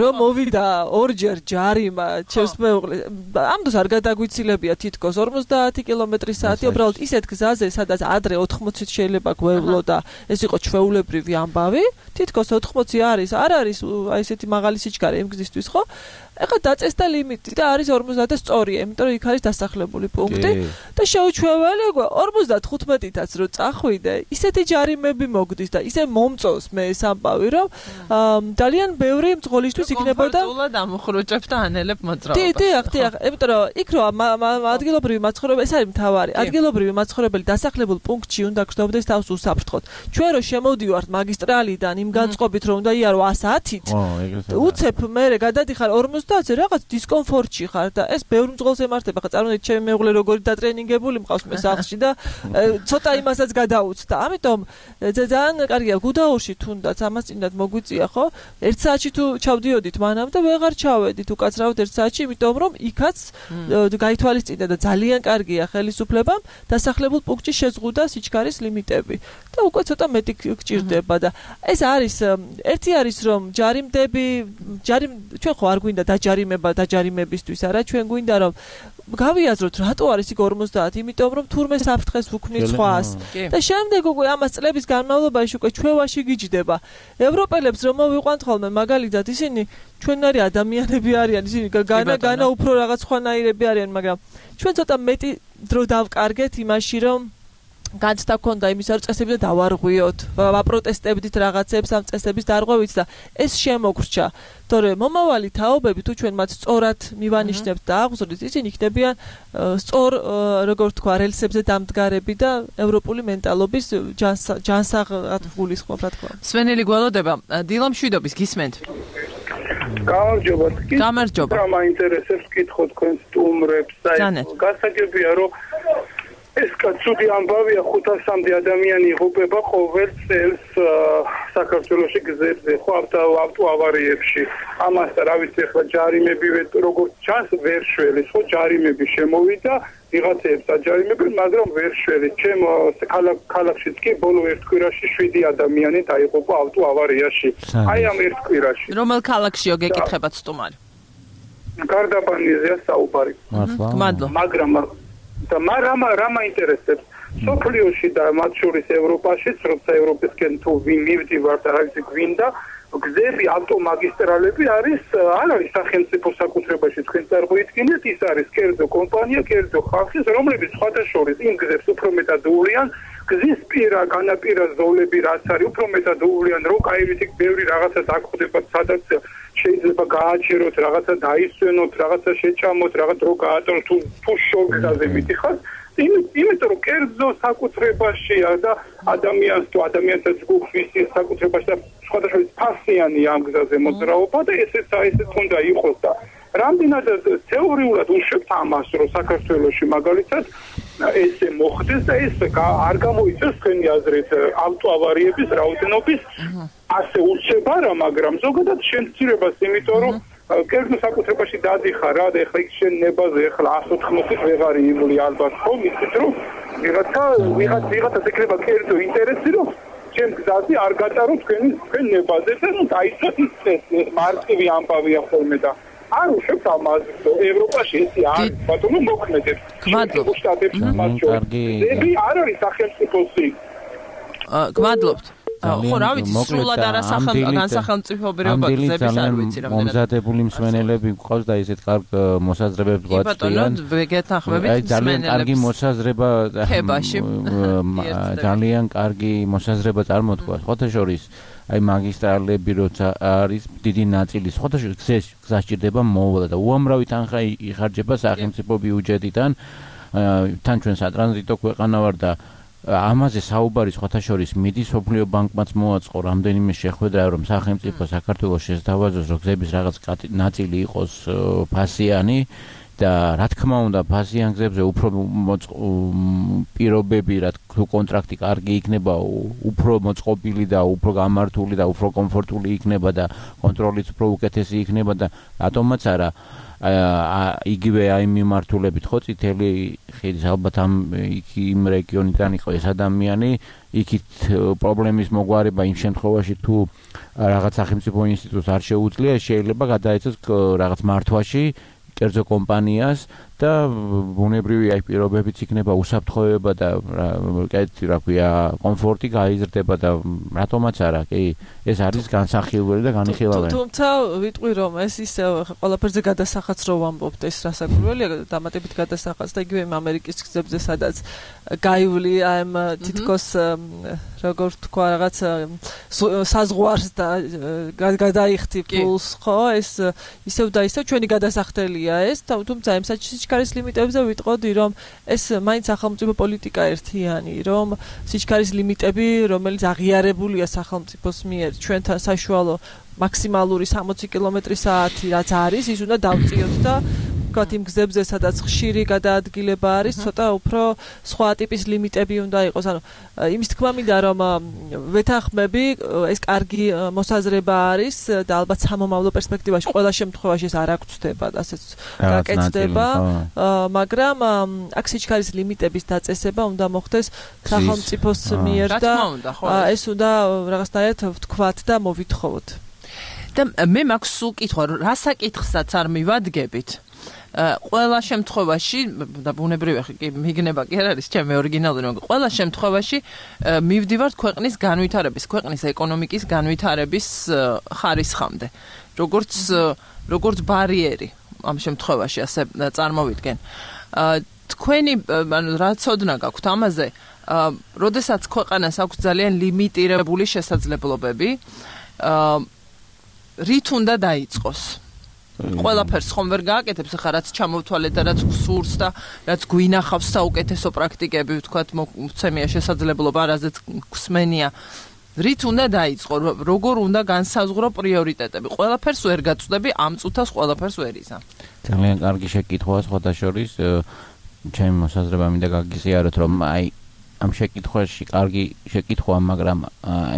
რომ მოვიდა ორჯერ ჯარიმა ჩემს მეუღლეს ამდოს არ გადაგვიცილებია თითქოს 50 კმ/სთ უბრალოდ ისეთ გზაზე სადაც ადრე 80-ით შეიძლება გვევლო და ეს იყო ჩვეულებრივი ამბავი თითქოს 80 არის არ არის აი ესეთი მაღალი სიჩქარე იმ გზისთვის ხო ეხლა დაწესდა ლიმიტი და არის 50 და სწორია, იმიტომ რომ იქ არის დასახლებული პუნქტი და შეუჩვეველი 55-ით რო წახვიდე, ისეთი ჯარიმები მოგდის და ისე მომწონს მე ეს ამბავი, რომ ძალიან ბევრი მძღოლისთვის იქნებოდა კომფორტულად ამოხროჭებ და ანელებ მოძრაობას. დიახ, იმიტომ რომ იქ რო ადგილობრივი მაცხოვრებელი, ეს არის მთავარი. ადგილობრივი მაცხოვრებელი დასახლებულ პუნქტში უნდა გრძნობდეს თავს უსაფრთხოდ. ჩვენ რო შემოვდივართ მაგისტრალიდან იმ განწყობით რომ უნდა იარო 110-ით, უცებ მე გადადიხარ 50-ზე რაღაც დისკომფორტში ხარ და ეს ბევრ მძღოლს ემართება. ხა წარმოვიდგინეთ ჩემი მეუღლე როგორი დატრენინგებული მყავს მე სახლში და ცოტა იმასაც გადაუცდა. ამიტომ ძალიან კარგია გუდაურში თუნდაც ამას წინდად მოგვიწია ხო? 1 საათში თუ ჩავდიოდით მანამ და ვეღარ ჩავედით უკაცრავად 1 საათში, იმიტომ რომ იქაც გაითვალისწინდა და ძალიან კარგია ხელისუფლებამ დასახლებულ პუნქტში შეზღუდა სიჩქარის ლიმიტები და უკვე ცოტა მეტი გჭირდება და ეს არის ერთი არის რომ ჩვენ ხო არ გვინდა დაჯარიმება დაჯარიმებისთვის არა ჩვენ გვინდა რომ გავიაზროთ რატო არის იქ 50 იმიტომ რომ თურმე საფრთხეს უქმნის სხვას და შემდეგ უკვე ამას წლების განმავლობაში უკვე ჩვევაში გიჯდება ევროპელებს რომ მოვიყვანთ ხოლმე მაგალითად ისინი ჩვენნაირი ადამიანები არიან ისინი განა უფრო რაღაც ხვანაირები არიან მაგრამ ჩვენ ცოტა მეტი დრო დავკარგეთ იმაში რომ განცდა ქონდა იმის არ წესები და დავარღვიოთ ვაპროტესტებდით რაღაცებს ამ წესების დარღვევით და ეს შემოგრჩა თორემ მომავალი თაობები თუ ჩვენ მათ სწორად მივანიშნებთ და აღზრდით ისინი იქნებიან სწორ როგორ თქვა რელსებზე დამდგარები და ევროპული მენტალობის ჯანსაღად გულისხმობ რა თქმა უნდა სვენელი გველოდება დილა მშვიდობის გისმენთ გამარჯობა რა მაინტერესებს კითხო თქვენ სტუმრებს და გასაგებია რომ ეს კაცუდი ამბავია 500-მდე ადამიანი იღუპება ყოველ წელს საქართველოში გზებზე ხო ავტოავარიებში ამას რა ვიცი ახლა ჯარიმები როგორც ჩანს ვერ შველის ხო ჯარიმები შემოვიდა ვიღაცებს აჯარიმებენ მაგრამ ვერ შველის ჩემ ქალაქშიც კი ბოლო ერთ კვირაში 7 ადამიანი დაიღუპა ავტოავარიაში აი ამ ერთ კვირაში რომელ ქალაქშიო გეკითხებათ სტუმარი გარდაბანიზეა საუბარი მადლობა მაგრამ და რა მაინტერესებს სოფლიოში და მათ შორის ევროპაშიც როცა ევროპისკენ თუ მივდივართ და რაღაცა გვინდა გზები ავტომაგისტრალები არის არ არის სახელმწიფო საკუთრებაში თქვენ წარმოიდგინეთ ის არის კერძო კომპანია კერძო ხალხის რომლებიც სხვადასხვა იმ გზებს უფრო მეტად უვლიან გზის პირა განაპირა ზოლები რაც არის უფრო მეტად უვლიან რომ კაირით ბევრი რაღაცა დაგხვდება სადაც შეიძლება გააჩეროთ რაღაცა დაისვენოთ რაღაცა შეჭამოთ რაღაც რო გაატაროთ თუ შორგზაზე მიდიხართ იმიტომ რომ კერძო საკუთრებაშია და ადამიანთა ჯგუფის საკუთრებაში და სხვადასხვა ფასიანია ამ გზაზე მოძრაობა და ესეც უნდა იყოს და რამდენად თეორიულად უშვებთ ამას რომ საქართველოში მაგალითად ესე მოხდეს და ეს არ გამოიწევს თქვენი აზრით ავტოავარიების რაოდენობის ასე უჩება რა მაგრამ ზოგადად შემცირებას იმიტომ რომ კერძო საკუთრებაში დადიხარ რა და ეხლა იქ შენ ნებაზე ეხლა 180-ით ვეღარ იმული ალბათ ხო მიწით რომ ვიღაცა ეკრება კერძო ინტერესი რომ ჩემ გზაზე არ გატარო თქვენ ნებაზე და დაიცვათ ის მარტივი ამბავია ხოლმე და არ უშვებთ ამას ევროპაში ესე არის ბატონო მოქმედებს გმადლობთ დები არ არის სახელმწიფოსი გმადლობთ ხო რა ვიცი სრულად განსახელმწიფოებრივი გზების არ ვიცი რა მომზადებული მსმენელები გვყავს და ესეთ კარგ მოსაზრებებს გვაწვდიან ძალიან კარგი მოსაზრება ძალიან კარგი მოსაზრება წარმოთქვა სხვათა შორის აი მაგისტრალები როცა არის დიდი ნაწილი სხვათა შორის გზას ჭირდება მოვლა და უამრავი თანხა იხარჯება სახელმწიფო ბიუჯეტიდან თან ჩვენ სატრანზიტო ქვეყანა ვარ და ამაზე საუბარი სხვათა შორის მიდის სოფლიო ბანკმაც მოაწყო რამდენიმე შეხვედრა რომ სახელმწიფო საქართველოს შესთავაზოს რომ გზების რაღაც ნაწილი იყოს ფასიანი და რა თქმა უნდა ფასიან გზებზე უფრო პირობები რა თუ კონტრაქტი კარგი იქნება უფრო მოწყობილი და უფრო გამართული და უფრო კომფორტული იქნება და კონტროლიც უფრო უკეთესი იქნება და რატომაც არა იგივე აი მიმართულებით ხო წითელი ხიდის ალბათ იმ რეგიონიდან იყო ეს ადამიანი იქით პრობლემის მოგვარება იმ შემთხვევაში თუ რაღაც სახელმწიფო ინსტიტუტს არ შეუძლია შეიძლება გადაეცეს რაღაც მართვაში კერძო კომპანიას და ბუნებრივი აი პირობებიც იქნება უსაფრთხოება და რა ქვია კომფორტი გაიზრდება და რატომაც არა კი ეს არის განსახილველი და განიხილავენ თუმცა ვიტყვი რომ ეს ისე ყველაფერზე გადასახაც რო ვამბობთ ეს რასაკვირველია დამატებით გადასახაც და იგივე ამერიკის გზებზე სადაც გაივლი ამ თითქოს როგორ თქვა რაღაც საზღვარს და გადაიხთი ფულს ხო ეს ისევ და ისევ ჩვენი გადასახდელია ეს თუმცა ამ სიჩქარის ლიმიტებზე ვიტყოდი რომ ეს მაინც სახელმწიფო პოლიტიკა ერთიანი რომ სიჩქარის ლიმიტები რომელიც აღიარებულია სახელმწიფოს მიერ ჩვენთან საშუალო მაქსიმალური 60 კმ/სთ რაც არის ის უნდა დავწიოთ და ვთქვათ იმ გზებზე სადაც ხშირი გადაადგილება არის ცოტა უფრო სხვა ტიპის ლიმიტები უნდა იყოს ანუ იმის თქმა მინდა რომ ვეთანხმები ეს კარგი მოსაზრება არის და ალბათ სამომავლო პერსპექტივაში ყველა შემთხვევაში ეს არ აღწევდება და ასეც გაკეთდება მაგრამ აქ სიჩქარის ლიმიტების დაწესება უნდა მოხდეს სახელმწიფოს მიერ და ეს უნდა რაღაცნაირად ვთქვათ და მოვითხოვოთ და მე მაქვს სულ კითხვა რა საკითხსაც არ მივადგებით ყველა შემთხვევაში და ბუნებრივია კი მიგნება კი არ არის ჩემი ორიგინალური მაგრამ ყველა შემთხვევაში მივდივართ ქვეყნის განვითარების ქვეყნის ეკონომიკის განვითარების ხარისხამდე როგორც ბარიერი ამ შემთხვევაში ასე წარმოვიდგენ თქვენი ანუ რა ცოდნა გაქვთ ამაზე როდესაც ქვეყანას აქვს ძალიან ლიმიტირებული შესაძლებლობები რით უნდა დაიწყოს ყველაფერს ხომ ვერ გააკეთებს ახლა რაც ჩამოვთვალეთ და რაც გსურს და რაც გვინახავს საუკეთესო პრაქტიკები ვთქვათ მოცემია შესაძლებლობა რაზეც გვსმენია რით უნდა დაიწყო როგორ უნდა განსაზღვრო პრიორიტეტები ყველაფერს ვერ გაწვდები ამ წუთას ყველაფერს ვერ იზამ ძალიან კარგი შეკითხვაა სხვათა შორის ჩემი მოსაზრება მინდა გაგიზიაროთ რომ აი ამ შეკითხვაში კარგი შეკითხვაა მაგრამ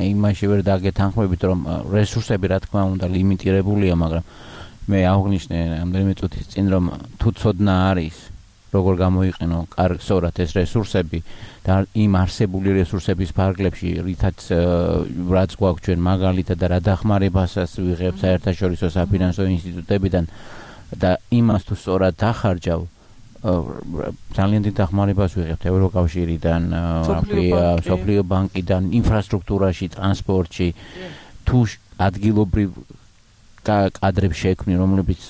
იმაში ვერ დაგეთანხმებით რომ რესურსები რა თქმა უნდა ლიმიტირებულია მაგრამ მე აღნიშნე ამდენიმე წუთის წინ რომ თუ ცოდნა არის როგორ გამოიყენო კარგსორად ეს რესურსები და იმ არსებული რესურსების ფარგლებში რითაც რაც გვაქვს ჩვენ მაგალითად და რა დახმარებასაც ვიღებ საერთაშორისო საფინანსო ინსტიტუტებიდან და იმას თუ სწორად დახარჯავ ძალიან დიდ დახმარებას ვიღებთ ევროკავშირიდან, სოფლიო ბანკიდან, ინფრასტრუქტურაში, ტრანსპორტში, თუ ადგილობრივ კადრებს შექმნი, რომლებიც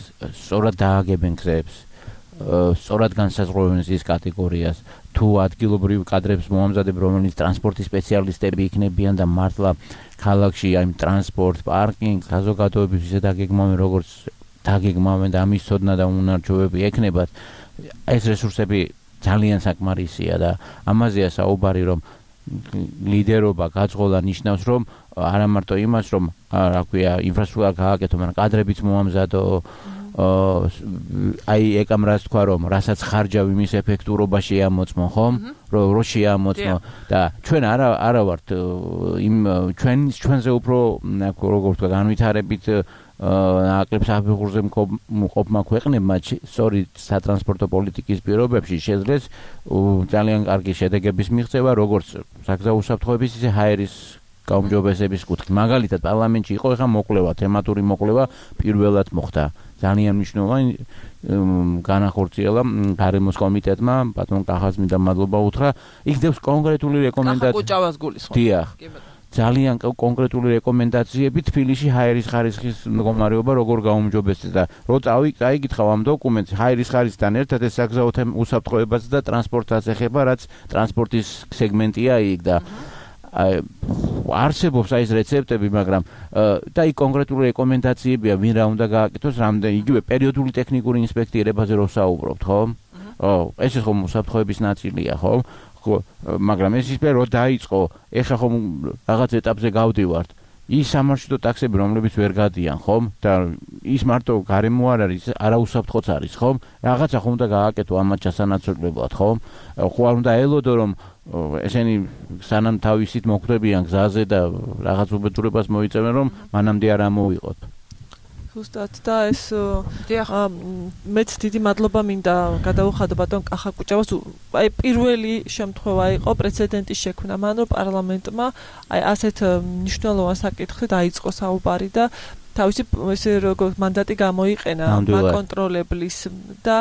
სწორად დააგებენ გზებს, სწორად განსაზღვრავენ ზის კატეგორიას, თუ ადგილობრივ კადრებს მოამზადებ, რომელიც ტრანსპორტის სპეციალისტები იქნებიან და მართლა ქალაქში აი ტრანსპორტ, პარკინგ, საზოგადოების ისე დაგეგმავენ, როგორც დაგეგმავენ და ამის ცოდნა და უნარჩვევები ექნებათ. ეს რესურსები ძალიან საკმარისია და ამაზეა საუბარი რომ ლიდერობა გაძღოლა ნიშნავს რომ არა მარტო იმას რომ რა ქვია ინფრასტრუქტურა გააკეთო მაგრამ კადრებიც მოამზადო აი ეკამ რას თქვა რომ რასაც ხარჯავ იმის ეფექტურობა შეამოწმო ხომ რო შეამოწმო და ჩვენ არა ვართ იმ ჩვენზე უფრო როგორ ვთქვა განვითარებით აკლებს აბიღურზე მყოფმა ქვეყნებმა სწორი სატრანსპორტო პოლიტიკის პირობებში შეძლეს ძალიან კარგი შედეგების მიღწევა როგორც საგზაო უსაფრთხოების ისე ჰაერის გაუმჯობესების კუთხით მაგალითად პარლამენტში იყო ეხა მოკვლევა თემატური მოკვლევა პირველად მოხდა ძალიან მნიშვნელოვანი განახორციელა გარემოს კომიტეტმა ბატონ კახაზმი და მადლობა უთხრა იქ დევს კონკრეტული რეკომენდაციები ძალიან კონკრეტული რეკომენდაციები თბილისში ჰაერის ხარისხის მდგომარეობა როგორ გაუმჯობესდეს და რო წაიგითხავ ამ დოკუმენტს ჰაერის ხარისხთან ერთად ეს საგზაო უსაფრთხოებაც და ტრანსპორტსაც ეხება რაც ტრანსპორტის სეგმენტია იქ და არსებობს აი ეს რეცეპტები მაგრამ და იქ კონკრეტული რეკომენდაციებია ვინ რა უნდა გააკეთოს რამდენი იგივე პერიოდული ტექნიკური ინსპექტირებაზე რო საუბრობთ ხო ეს ხომ უსაფრთხოების ნაწილია ხო მაგრამ ეს ისე რომ დაიწყო ეხა ხომ რაღაც ეტაპზე გავდივართ ის სამარშრუტო ტაქსები რომლებიც ვერ გადიან ხომ და ის მარტო გარემო არ არის არაუსაფრთხოც არის ხომ რაღაცა ხომ უნდა გააკეთო ამათ ჩასანაცვლებლად ხომ ხო არ უნდა ელოდო რომ ესენი სანამ თავისით მოხვდებიან გზაზე და რაღაც უბედურებას მოიწევენ რომ მანამდე არ ამოვიყოთ ზუსტად და ეს მეც დიდი მადლობა მინდა გადაუხადო ბატონ კახაკუჭავას აი პირველი შემთხვევა იყო პრეცედენტის შექმნა მან რომ პარლამენტმა აი ასეთ მნიშვნელოვან საკითხზე დაიწყო საუბარი და თავისი ესე როგორ მანდატი გამოიყენა მაკონტროლებლის და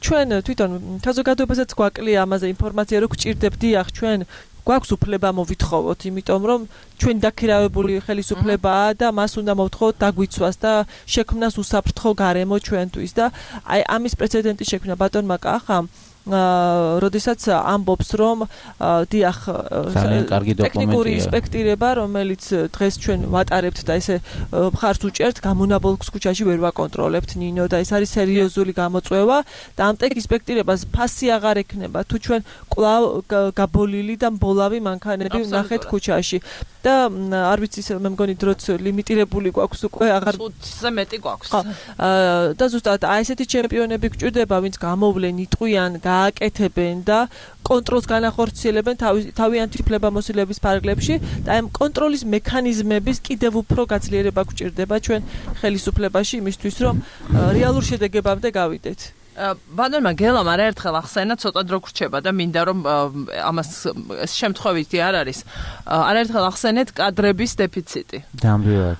ჩვენ თვითონ საზოგადოებასაც გვაკლია ამაზე ინფორმაცია რომ გჭირდებთ დიახ ჩვენ გვაქვს უფლება მოვითხოვოთ იმიტომ რომ ჩვენ დაქირავებული ხელისუფლებაა და მას უნდა მოვთხოვოთ დაგვიცვას და შექმნას უსაფრთხო გარემო ჩვენთვის და აი ამის პრეცედენტი შექმნა ბატონმა კახამ როდესაც ამბობს რომ დიახ ტექნიკური ინსპექტირება რომელიც დღეს ჩვენ ვატარებთ და ესე მხარს უჭერთ გამონაბოლქს ქუჩაში ვერ ვაკონტროლებთ ნინო და ეს არის სერიოზული გამოწვევა და ამ ტექ-ინსპექტირებას ფასი აღარ ექნება თუ ჩვენ კვლავ გაბოლილი და მბოლავი მანქანები ვნახეთ ქუჩაში და არ ვიცი მე მგონი დროც ლიმიტირებული გვაქვს უკვე აღარ წუთზე მეტი გვაქვს და ზუსტად აი ესეთი ჩემპიონები გჭირდება ვინც გამოვლენ იტყვიან გააკეთებენ და კონტროლს განახორციელებენ თავიანთი უფლებამოსილების ფარგლებში და ამ კონტროლის მექანიზმების კიდევ უფრო გაძლიერება გჭირდება ჩვენ ხელისუფლებაში იმისთვის რომ რეალურ შედეგებამდე გავიდეთ ბატონმა გელამ არაერთხელ ახსენა ცოტა დრო გრჩება და მინდა რომ ამას შემთხვევითი არ არის არაერთხელ ახსენეთ კადრების დეფიციტი ნამდვილად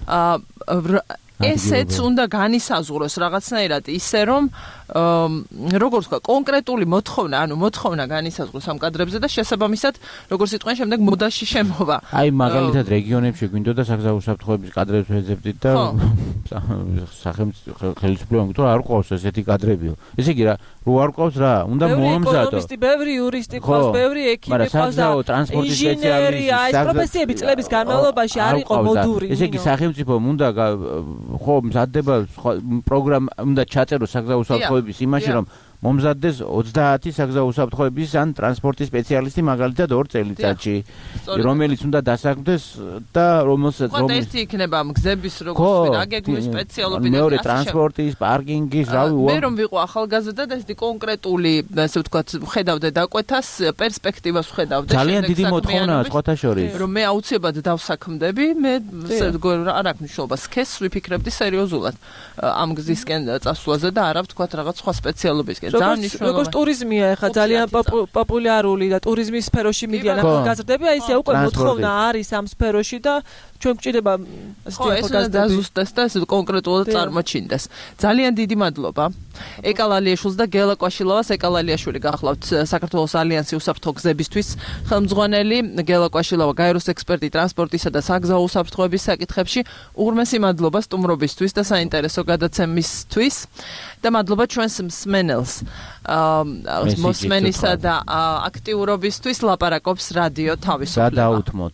ესეც უნდა განისაზღვროს რაღაცნაირად ისე რომ როგორც ვთქვა კონკრეტული მოთხოვნა განისაზღვროს ამ კადრებზე და შესაბამისად როგორც იტყვიან შემდეგ მოდაში შემოვა აი მაგალითად რეგიონებში გვინდოდა საგზაო უსაფრთხოების კადრებს ვეძებდით და ხელისუფლებამ თუ არ ყავს ესეთი კადრებიო ესე იგი რო არ ყავს რა უნდა მომამზადო ბევრი იურისტი ყავს ბევრი ექიმი ყავს და ტრანსპორტის სპეციალისტი აი პროფესიები წლების განმავლობაში არ იყო მოდური ესე იგი სახელმწიფომ უნდა ხო მზადდება პროგრამა უნდა ჩაწეროს საგზაო უსაფრთხოების იმაში რომ მომზადდეს 30 საგზაო უსაფრთხოების ან ტრანსპორტის სპეციალისტი მაგალითად 2 წელიწადში რომელიც უნდა დასაქმდეს და რომელსაც ერთი იქნება მგზების როგორც აგეგმვის სპეციალობი და მეორე ტრანსპორტის პარკინგის რავი მე რომ ვიყო ახალგაზრდა და ესეთი კონკრეტული ასე ვთქვათ ხედავდე დაკვეთას პერსპექტივას ხედავდე ძალიან დიდი მოთხოვნაა სხვათა შორის რომ მე აუცილებლად დავსაქმდები მე არ აქვს მნიშვნელობა სქესს ვიფიქრებდი სერიოზულად ამ გზისკენ წასვლაზე და არა ვთქვათ რაღაც სხვა სპეციალობისკენ როგორც ტურიზმია ახლა ძალიან პოპულარული და ტურიზმის სფეროში მიდიან ახალგაზრდები აი ესე უკვე მოთხოვნა არის ამ სფეროში და ჩვენ გვჭირდება დაზუსტდეს და ესე კონკრეტულად წარმოჩინდეს ძალიან დიდი მადლობა ეკალალიაშვილს და გელა კვაშილოვას ეკალალიაშვილი გახლავთ საქართველოს ალიანსი უსაფრთხო გზებისთვის ხელმძღვანელი გელა კვაშილოვა გაეროს ექსპერტი ტრანსპორტისა და საგზაო უსაფრთხოების საკითხებში უღრმესი მადლობა სტუმრობისთვის და საინტერესო გადაცემისთვის და მადლობა ჩვენს მსმენელს მოსმენისა და აქტიურობისთვის ლაპარაკობს რადიო თავისუფლება.